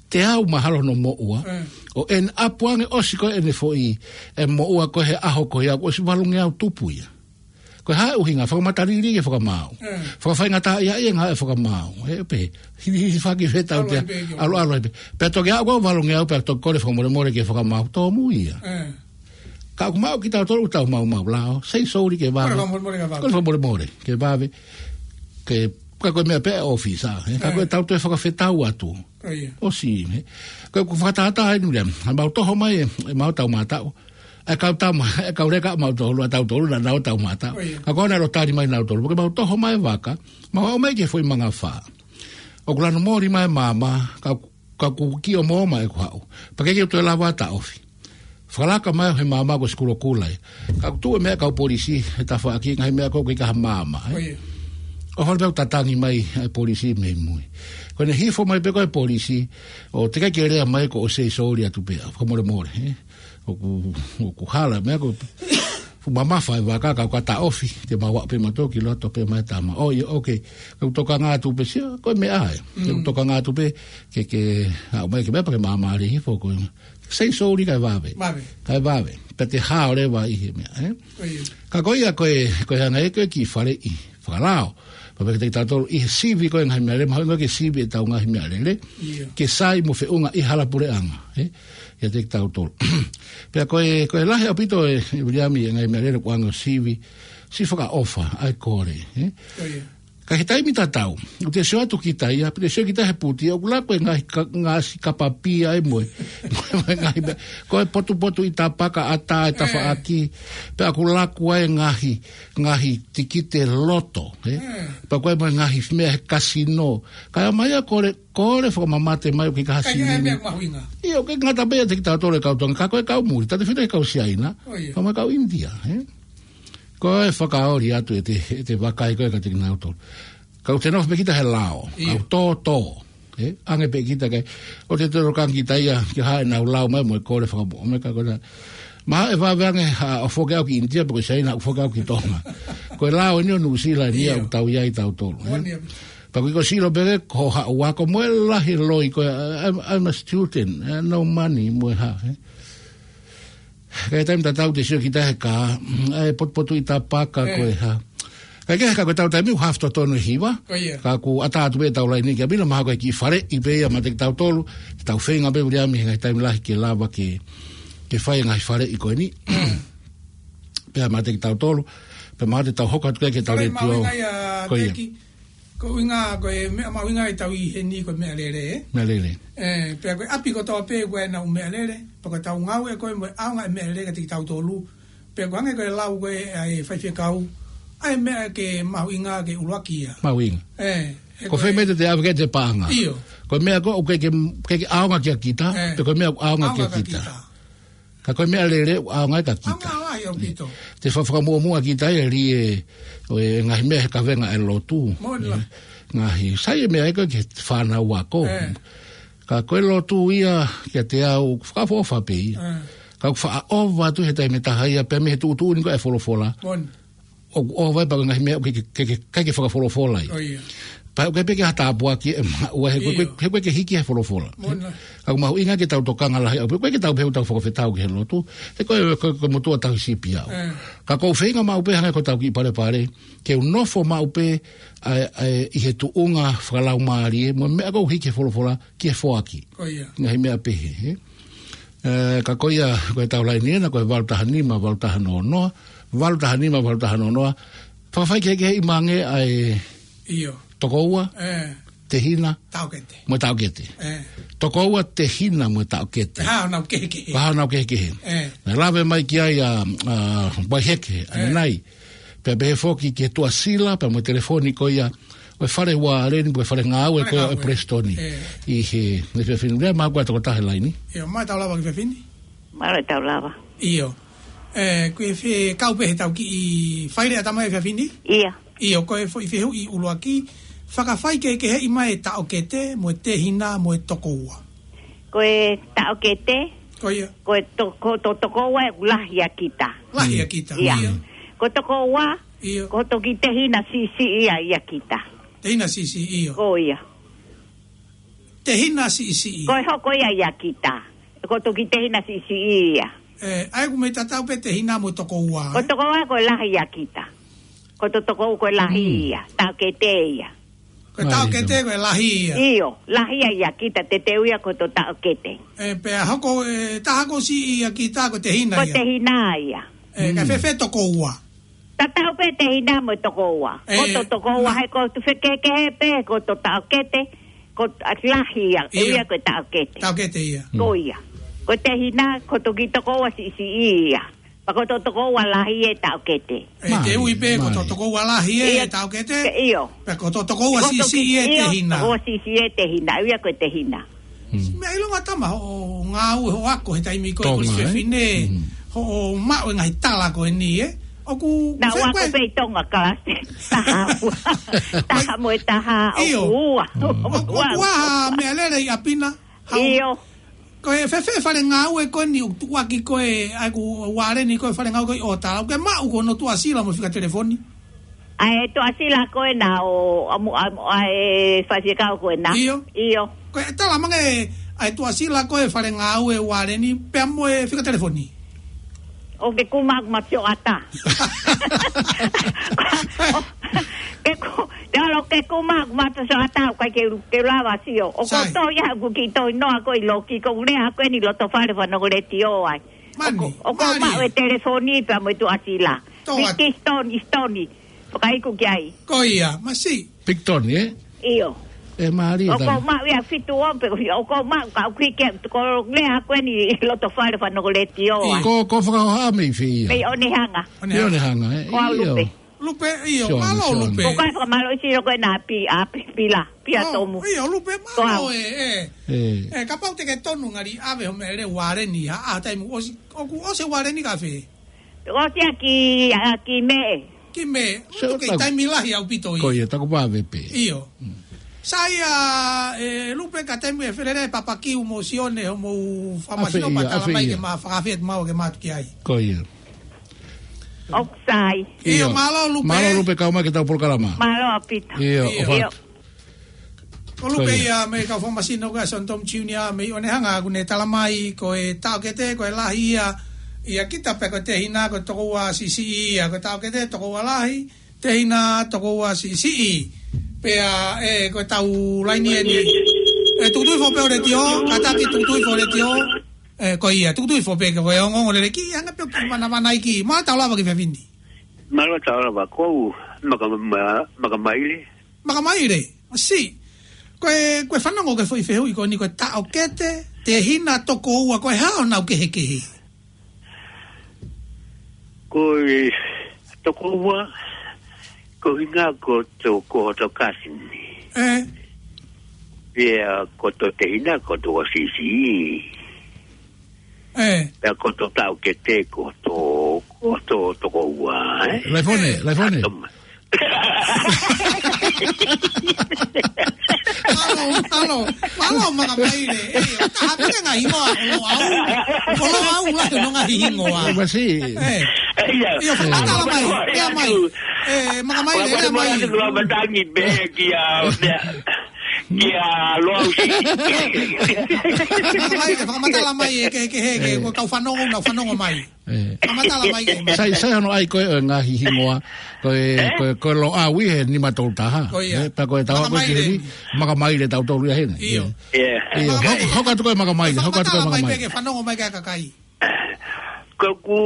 Teau mahalo hono moʻua, Ē. ʻo ʻene ʻapu ange ʻosi ko ē ʻene foʻi, e moʻua ko ē he ʻaho ko ia, ʻosi valungeau tupu ia. Ko e hā e ʻuhinga, fakamatalili ki he fakamaau. Ē. Fakafaingataʻaʻia e ngāue fakamaau. Ē pē, hilihili faki fetau Alo te, ai pē ki alo, alo ai pē. Pea toki aʻu ko ē valungeau, pea toki kole fakamolemole ki he fakamaau, tōmui ia. Ē. Ka ʻoku maʻu kitautolu ʻoku tau maumau lao, sei souli ke vave. Kole fakamolemole ke vave. Kole fakamolemole ke vave. Ke, ka ko e meʻa pē ʻa e ʻōfisa, ē. Ka Ē. ko e tau toe fakafetau atu. ʻIo. ʻOsi, ē. Ka ʻoku fakatātā eni, William. ʻA mau toho mai, ē, ʻemau tau mātaʻu. ʻE kau tama, ʻe kau leka ʻa mautolu, ʻa tautolu, naʻa nau tau mātaʻu. ʻIo. Ka ko ena lo tali mai nautolu, pea ke mau toho mai vaka, mau aʻu mai ki he foʻi mangafā. ʻOku lanu moli mai māmā, ka, ka ʻoku kio mo mai ʻeku haʻu. Pea ʻikai ke u toe lava taʻofi. Fakalaka mai he māmā ko e sikulu kula ia. Ka ʻoku tuʻu e meʻa kau polisi, he tafaʻaki ngaahi meʻa ko ē ʻoku ʻikai ha māmā, ē. ʻIo. ʻO fale pē ʻoku tatangi mai e polisi mei mui. Ko ʻene hifo mai pē ko ē polisi, ʻo teʻeki ke lea mai ko e sei souli atu pē, fakamolemole, ē. ʻOku, ʻoku hala, meʻa ko e fuʻu mamafa e vaka, ka ʻoku taʻofi, te mau aʻu pē mautolu ki loto pē mai tama. ʻO, ʻio, ʻoku, ʻoku tokanga atu pē sia, ko e meʻa ē. Mm. ʻOku tokanga atu pē, ke, ke, aʻu mai ke meʻa pea ke māmālie hifo ko e. Sei souli kae vave. Vave. Kae vave. Pea te hao leva ʻi he meʻa, ē? ʻIo. Ka ko ia ko e, ko e hanga ē ko e ki fale ʻi fakalao. Pea pehē kiate kitautolu ʻi he sivi ko e ngaahi meʻalele, mahalo ko e sivi ʻetau ngaahi meʻalele. ʻIo. Ke sai mo feʻunga ʻi hala puleʻanga, ē? ʻIate kitautolu. Pea ko e, ko e lahi ʻaupito ē, ʻe Viliami, e ngaahi meʻalele ʻoku ʻoange ʻo sivi, siʻi fakaʻofa, ʻa e kole, ē? ʻIo. Ka he taimi tatau, ʻoku te sio atu kita ia, pea te sio kita he puti, ʻoku laku e ngaahi ka-, ngaahi kapapia e moe. Mo e ngaahi meʻa. Ko e potupotuʻi tapaka ʻatā e tafaʻaki, pea ʻoku laku ai e ngaahi, ngaahi tikite loto, ē? Pea ko e mo e ngaahi meʻa he kasino. Ka ʻomai ʻo kole, kole fakamamate mai ʻoku ʻikai ha sini. Meʻa mahuʻinga. ʻIo, ʻoku ʻikai ngata pē ʻiate kitautolu e kau Tonga, ka ko e kau muli, tatau pē foki e kau Siaina, pea mo e kau ʻInitia, ē? Ko e fakaoli atu ʻete, ʻete vakai ko ē kiate kinautolu. Ka ʻoku te nofo pē kita he lao, kau tōtō. Ē, ʻange pē kita ke, ʻoku te tokanga kita ia, ke haʻu ʻenau lao mai mo e kole fakamoʻoni, ka ko e, mahalo ʻe vave ange ha, ʻo foki au ki ʻInitia, pe ko Siaina, ʻo foki au ki Tonga. Ko e lao eni ʻo Nuʻusila eni ia ʻoku tau ʻi ai tautolu, ē? Pea ko e sio pē ko e haʻu ako mo e lahi loi ko e, I'm, I'm a student, ē, no money, mo e hā, ē? Ka he taimi tatau te sio kita he kā, ʻa e potupotuʻi tapaka ko e hā. Ka ke he ka ko e tau taimi ʻoku hafu totonu e hiva. Ka ʻoku ʻatā atu pē tau laini ki ʻapi na mahalo ko e kiʻi faleʻi pē ia meiate kitautolu. Tau feinga pē Viliami he ngaahi taimi lahi ke lava ke, ke fai e ngaahi faleʻi ko eni. Pea meiate kitautolu. Pea mahalo te tau hoko atu ki he tau letiō. Ko ia. Ko e ʻuhinga, ko e meʻa mahuʻinga ʻi he tau ʻi heni ko e meʻalele, ē? Meʻalele. Ē, pea ko e ʻapi kotoa pē ko ē ʻoku nau meʻalele, pea ko e tau ngāue ko ē mo e ʻaonga e meʻalele kiate kitautolu. Pea ʻoku hangē ko e lau ko ē ʻa e faifekau, ʻa e meʻa ke mahuʻinga ke ʻuluaki ia. Mahuʻinga. Ē, ko e fē meʻa te te ʻave ki ai ʻete paʻanga? ʻIo. Ko e meʻa ko ē ʻoku ʻikai ke, ʻikai ke ʻaonga kia kita, pe ko e meʻa ʻoku ʻaonga kia kita. Ka ko e meʻalele ʻoku ʻaonga ai kia kita. ʻAonga lahi ʻaupito. Te fa-, fakamuʻomuʻa kita ia ʻi he, ʻo e ngaahi meʻa he kavenga e lotu. Ngaahi, sai e meʻa ia ko e ke fānau ako. Ka ko e lotu ia kiate au, fakaʻofoʻofa pē ia. Ka ʻoku faʻa ʻova atu he taimi ʻe taha ia, pea mei he tuʻutuʻuni ko e folofola. ʻOku ʻova ai pea ko e ngaahi meʻa ʻoku ʻikai ke, ke, ke, ʻikai ke fakafolofola ia. Pea ʻoku ʻikai pē ke ha tāpuaki ʻe maʻu ai he ko e, he ko e ke hiki he folofola. Ka ʻoku mahuʻinga ke tau tokanga lahi ʻaupito, ʻoku ʻikai ke tau pehē ʻoku tau fakafetau ki he lotu. He ko e, ko e, ko e motuʻa tauhi sipi au. Ka ʻoku ou feinga maʻu pē hangē ko ʻetau kiʻi palepale, ke u nofo maʻu pē, ʻa e, ʻa e, ʻi he tuʻunga fakalaumālie, mo e meʻa ʻoku hiki he folofola, ki he foaki. Ngaahi meʻa pehē, ē? Ē, ka ko ia, ko e tau laini ena, ko e valu taha nima, valu taha noa noa, valu taha nima, valu taha noa noa. Fakafaikehekeheʻi mai ange ʻa e tokoua, tehina, mo e taʻokete. Tokoua, tehina, mo e taʻokete. Pea hā honau kehekehe. Pea hā honau kehekehe. Naʻe lave mai ki ai ʻa, ʻa, Vaiheke, ʻanenai. Pea pehē foki ki he Tuʻasila, pea mo e telefoni ko ia, ʻo e fale ualeni, mo e fale ngāue ko ia ʻo e Palesitoni. ʻI he, ne fefine, lea mai ko e tokotaha he laini. ʻIo, mai tau lava ki fefine. Mālō e tau lava. ʻIo. Ē, ko e fē kau pē he tau kiʻi faileʻatā mai e fefine? ʻIo. ʻIo, ko e foʻi fehuʻi ʻuluaki, fakafaikehekeheʻi mai e taʻokete, mo e tehina, mo e tokoua. Ko e taʻokete, ko ia. Ko e to-, ko to-, tokoua ʻoku lahi ʻia kita. Lahi ʻia kita. ʻIo. Ko tokoua, ko toki tehina siʻisiʻi ia ʻia kita. Tehina siʻisiʻi, ʻio. Ko ia. Tehina siʻisiʻi. Ko e hoko ia ʻia kita. Ko toki tehina siʻisiʻi ia. Ē, ʻa ia ʻoku mei tatau pē tehina mo tokoua, ē? Ko tokoua ko e lahi ʻia kita. Ko to tokoua ko e lahi ia. Taʻokete ia. Ko e taʻokete ko e lahi ia. ʻIo, lahi ia ʻia kita, te te ui ia ko to taʻokete. Ē, pea hoko, ē, taha ko siʻi ʻia kita ko e tehina ia. Ko e tehina ia. Ē, ka fēfē tokoua? Tatau pē tehina mo tokoua. Ko to tokoua, he ko tu fekehekehe pē, ko to taʻokete, ko lahi ia, ʻe ui ia ko e taʻokete. Taʻokete ia. Ko ia. Ko e tehina, ko toki tokoua siʻisiʻi ia. Pea ko to tokoua lahi e taʻokete. Ē, te ui pē, ko to tokoua lahi e taʻokete. ʻIo. Pea ko to tokoua siʻisiʻi e tehina. Tokoua siʻisiʻi e tehina, ʻe ui ia ko e tehina. Meʻa ʻilonga tama hoʻo ngāue hoʻo ako he taimi ko ē ko e fefine, hoʻo maʻu e ngaahi tala ko eni, ē? ʻOku naʻa ku ako pē ʻi Tonga kalasi taha ua. Taha mo e taha ʻoku ua. ʻOku ua ha meʻalele ʻi ʻapi na. ʻIo. Ko e fēfē fale ngāue ko eni ʻoku tuʻuaki ko ē, ʻa ia ʻoku ualeni ko e fale ngāue ko ē ʻo tala, ʻoku ke maʻu ko hono Tuʻasila mo e fika telefoni? ʻA e Tuʻasila ko ē naʻa ʻoku, ʻa e faifekau ko ē naʻa. ʻIo. ʻIo. Ko e tala mai ange ʻa e Tuʻasila ko ē fale ngāue ualeni pea mo e fika telefoni. ʻOku ke kumi ʻeku mata sioʻata. ʻOku ke ku-, te olo ke kumi ʻeku mata sioʻata, ʻoku ʻikai ke u, ke u lava sio. ʻOku ou tohi ʻeku kiʻi tohi noa ko ē ʻi loki, ko e lea ko eni ʻi loto fale fanongo letiō ai. ʻOku ou maʻu e telefoni pea mo e Tuʻasila. Miki Stoni, Stoni. Fakaiku ki ai. Ko ia, masiʻi. Picton, ē? ʻIo. ʻE mālie ʻOku tau. Maʻu ia fitu o pe, ʻoku maʻu ka uki ke, ko lea ko eni loto fale fanongo letiō, ʻio, ʻa. Ko, ko fakahoha mei fē ia? Mei ʻOnehanga. Mei ʻOnehanga, ē? Ko au ʻIo. Lupe. Lupe, ʻio, Sione, mālō Sione. Lupe. Ko kai fakamālō isi loko e nā pi, a, pi, pila, pia Oh, tomu. ʻIo, Lupe, Ko au. mālō ē, ē. Ē. Ē, kapau te ke tonu ngali ʻave ho meʻa lelei ualeni, ha, ʻa, taimi ʻosi, ʻoku ʻosi ualeni ka fē? ʻOsi ia ki, a, ki Mē. Ki Mē, So, ʻoku kei taku taimi lahi ʻaupito ia. Ko ia, taku pāve pē. ʻIo. Mm. Sai ia, ē, Lupe ka taimi ʻe felele papakiu mo Sione hoʻomou fakamasino ʻAfeʻi ia, patala ʻafeʻi mai ia. ke ma fakafet mau ke matu ki ai. Ko ia. ʻOku sai. ʻIo, ʻIo. mālō Lupe. Mālō Lupe kau mai ki heʻetau polokalama. Mālō ʻaupito. ʻIo, ʻIo. ʻofa atu. Ko Lupe Ko ia. ia mei he kau fakamasino ko ē ʻa Sione Tomu Junior mei ʻOnehanga ʻoku ne tala mai ko e taʻokete ko e lahi ia, ia kita pē ko e tehina ko e tokoua siʻisiʻi ia ko e taʻokete tokoua lahi, tehina tokoua siʻisiʻi. Pea ē ko e tau laini eni. Ē tukutuku hifo pē ho letiō, kātaki tukutuku hifo ho letiō. Ē ko ia, tukutuku hifo pē ke ko e ongoongo lelei ki, hanga pē ʻo kiʻi manavana ai ki, mālō tau lava ki he efiafi ni. Mālō tau lava ko Maka, Ma-, Makamaile. Makamaile, ʻosi. Ko e, ko e fanongo ki he foʻi fehuʻi ko eni ko e taʻokete, tehina tokoua ko e hā honau kehekehe? Ko e tokoua, ko e ʻuhinga ko to-, ko hoto kasini. Ē. Pea ko hoto tehina ko hoto siʻisiʻi. Ē. Pea ko hoto taʻokete ko hoto, ko hoto tokoua, ē? Laifone, Laifone. Mālō, mālō, mālō Makamaile. Ē, ʻo taha pē ngaahi hingoa, ʻo Loʻau. ʻO Loʻau lahi hono ngaahi hingoa. Ē, masi. Ē. ʻIo. ʻIo, fakamatala mai, lea mai. Ē, Makamaile, lea mai. Fakamatala mai, matangi pē kia, kia Loʻau si. Makamaile, fakamatala mai, ē, ke, ke, he, ke, Ē. ko e kau fanongo, nau fanongo mai. Ē. Fakamatala mai ke. Sai, sai hono ʻai ko ē ʻo e ngaahi hingoa, ko e, Ē? ko e, ko e Loʻau ʻi he nima tolu taha. Ko ia. Ē, pea ko e tau ko ē ki Makamaile heni, eni. Makamaile tautolu ia heni. ʻIo. Ē. ʻIo, Makamaile. Hoko, hoko atu ko ē Makamaile, hoko atu ko ē Fakamatala mai Makamaile. pē ke fanongo mai ki he kakai. Ko ʻeku, ko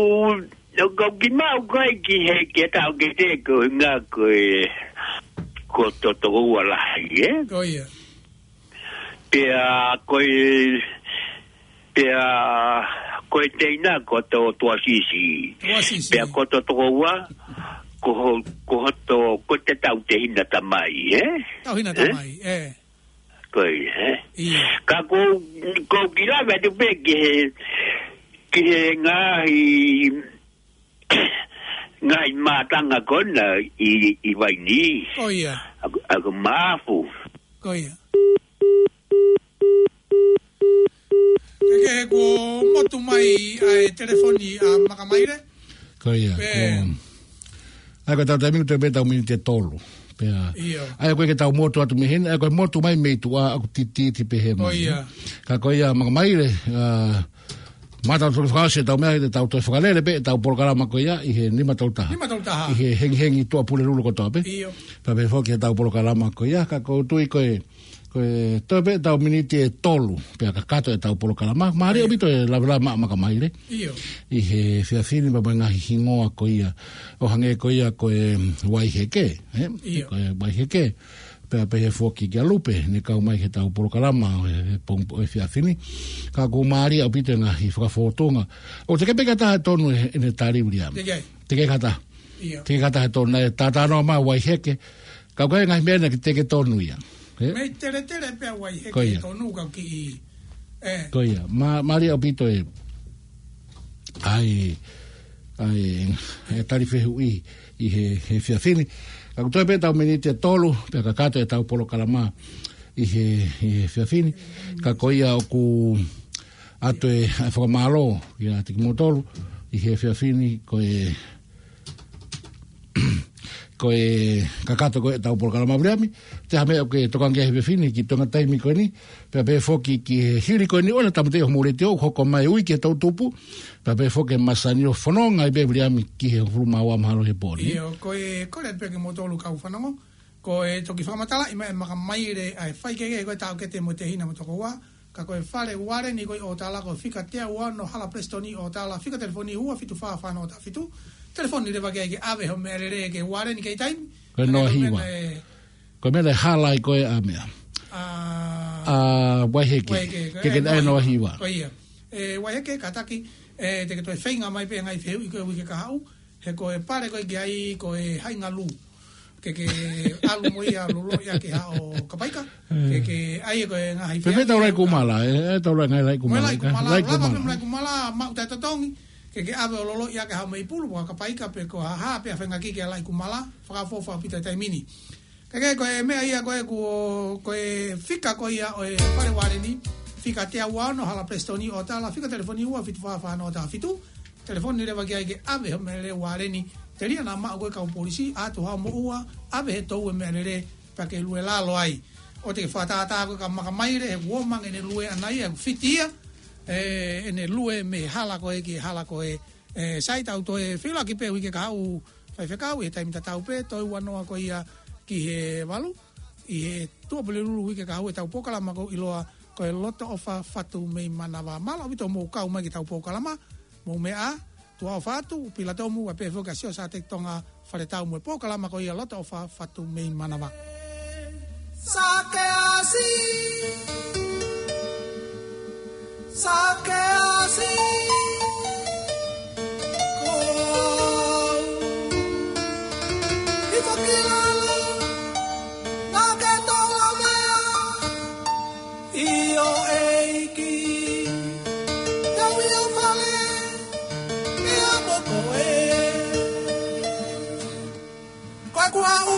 ʻeku kimaʻu ko ē ki he, ki he taʻokete ko e ʻuhinga ko e, ko hoto tokoua lahi, ē? Ko ia. Pea ko e, pea ko e tehina ko hoto tuʻa siʻisiʻi. Tuʻa siʻisiʻi. Pea ko hoto tokoua, ko ho-, ko hoto, ko ʻete tauhi tehina tamai, ē? Tauhi Ē? tamai, ē. Ko ia, ē? ʻIo. Ka ko, ko e kiʻi lave atu pē ki he, ki he ngaahi ngaahi mātanga ko ena ʻi, ʻi Vainī. Ko ia. ʻA, ʻa Maʻafu. Ko ia. Ke, ke kuo motu mai ʻa e telefoni ʻa Makamaile. Ko ia, Pē. ko. ʻA ia ko ʻetau taimi ʻoku toe pē ʻetau miniti ʻe tolu. Pea. ʻIo. ʻA ia ko e ke tau motu atu mei heni, ʻa ia ko e motu mai mei tuʻa ʻoku tititi pē he Ko mai. ia. Ka ko ia Makamaile, ʻa, Mātau tolu fakaʻosi ʻetau meʻa, ʻetau toe fakalele pē ʻetau polokalama ko ia ʻi he nima tolu taha. Nima tolu taha. ʻI he hengihengi Tuʻapulelulu kotoa pē. ʻIo. Pea pehē foki ʻetau polokalama ko ia, ka ʻoku ou tui ko e, ko e toe pē ʻetau miniti ʻe tolu, pea kakato ʻetau polokalama. Mālie ʻaupito e lavelave maʻa Makamaile. ʻIo. ʻI he efiafi ni pea mo e ngaahi hingoa ko ia. ʻO hangē ko ia ko e Vaiheke, ē? ʻIo. Ko e Vaiheke. Pea pehē foki kia Lupe, ne kau mai ki heʻetau polokalama ʻo e, ʻo e pongipongi ʻo e efiafi ni. Ka ʻoku mālie ʻaupito e ngaahi fakafōtunga. ʻOku teʻeki pē ke ʻi ai ha taha ʻe tonu ʻe, ʻene tali Viliami. Teʻeki ai. Teʻeki ai ha taha. ʻIo. Teʻeki ai ha taha ʻe tonu, naʻe talanoa mai Vaiheke. Ka ʻoku ʻi ai e ngaahi meʻa naʻe teʻeki tonu ia. Ē? Mei teletele pē ʻa Vaiheke Ko ia. ʻe tonu ka ki ʻi. Ē. Ko ia. Mā-, mālie ʻaupito e ʻa e, ʻa e, e tali fehuʻi ʻi he, he efiafi ni. Ka ʻoku toe pē ʻetau miniti ʻe tolu, pea kakato ʻetau polokalama ʻi he, he efiafi ni. Ka ko ia ʻoku ʻoatu e, ʻa e fakamālō kiate kimoutolu ʻi he efiafi ni, ko e, ko e kakato ko ē ʻetau polokalama Viliami, te ha meʻa ʻoku ke tokanga ki ai he efiafi ni ki he toenga taimi ko eni, pea pehē foki ki he hili ko eni ʻo e tāmateʻi hoʻomou letiō, hoko mai ui ki he toʻutupu, pea pehē foki e masani ʻo fononga ai pē Viliami ki he hongofulu mā ua mahalo he pō ni. ʻIo, ko e kole pē kimoutolu kau fanongo, ko e toki fakamatalaʻi mai ʻe Makamaile ʻa e faikehekehe ko e taʻokete mo e tehina mo e tokoua, ka ko e fale ualeni ko ē ʻo tala ko e fika teau ua ono Hala Presitoni ʻo tala fika telefoni ua fitu fā fā noa taha fitu. Telefoni leva ke ʻai ke ʻave hoʻo meʻa lelei ki he ualeni ki he taimi. Ko e noa hiva. Ko e meʻa, ē, Ko e meʻa naʻe hala ai ko ē ʻa meʻa. ʻA, ʻa Vaiheke. Vaiheke, Ke ke ʻai ʻai noa noa hiva. Ko ia. ʻE, Vaiheke, kātaki, ʻe, te ke toe feinga mai pē ngaahi fehuʻi ko ē uike kahaʻu. He ko e pale ko ē ke ʻai ko e Haʻingalū. Ke ke ʻalu mo ia loloʻi ʻa ke haʻo Kapaika. Ke ke ʻai ko e ngaahi Pe, pe fehuʻi tau rai ko Kumala, ʻe, ʻe tau rai ngaahi rai Mo e Kumala, Laʻi ka? Kumala, Laʻi lava Kumala. Mo e Laʻi Kumala, maʻu taʻetotongi. Ke ke ʻave ʻo loloʻi ʻa ke haʻo mei pulu, ko Kapaika pe ko ha hā pē ʻa fengaki ke Laʻi Kumala, fakaʻofoʻofa ʻaupito taimi ni. Ka ke ko e meʻa ia ko ē kuo, ko e fika ko ia ʻo e Pale Ualeni, fika teau ua ono Hala Prestoni ʻo tala, fika telefoni ua fitu fā fā noa taha fitu, telefoni leva ki ai ke ʻave ho meʻalele ualeni, telia naʻa maʻu ko ē kau polisi, ʻatu haʻo moʻua, ʻave he toʻu e meʻalele, pea ke lue lalo ai. ʻOua te ke fakatātā ko e ka makamaile, he kuo mangi ʻene lue ʻana ia, he fiti ia, ʻe, ʻene lue mei he hala ko ē ki he hala ko ē, ʻe, sai tau toe feʻiloaki pē uike kahaʻu faifekau, ʻi he taimi tatau pē, toe ua noa ko ia ki he valu, ʻi he Tuʻapulelulu uike kahaʻu ʻetau polokalama ko ē ʻiloa ko e Loto ʻOfa Fatu mei Manava. Mālō ʻaupito hoʻomou kau mai ki heʻetau polokalama, mou meʻa ā, tuʻa ʻofa atu, Pilatomu, ʻa pē foki ʻa Sio Sateki Tonga, Faletau mo e polokalama ko ia Loto ʻOfa Fatu mei Manava. Sakeasi. Sakeasi. Ko au. Hifo ki lalo. Naʻa ke tau lavea. ʻIo ʻEiki. Tau ʻi ho fale. ʻIa mo koe. Ko e kuaʻu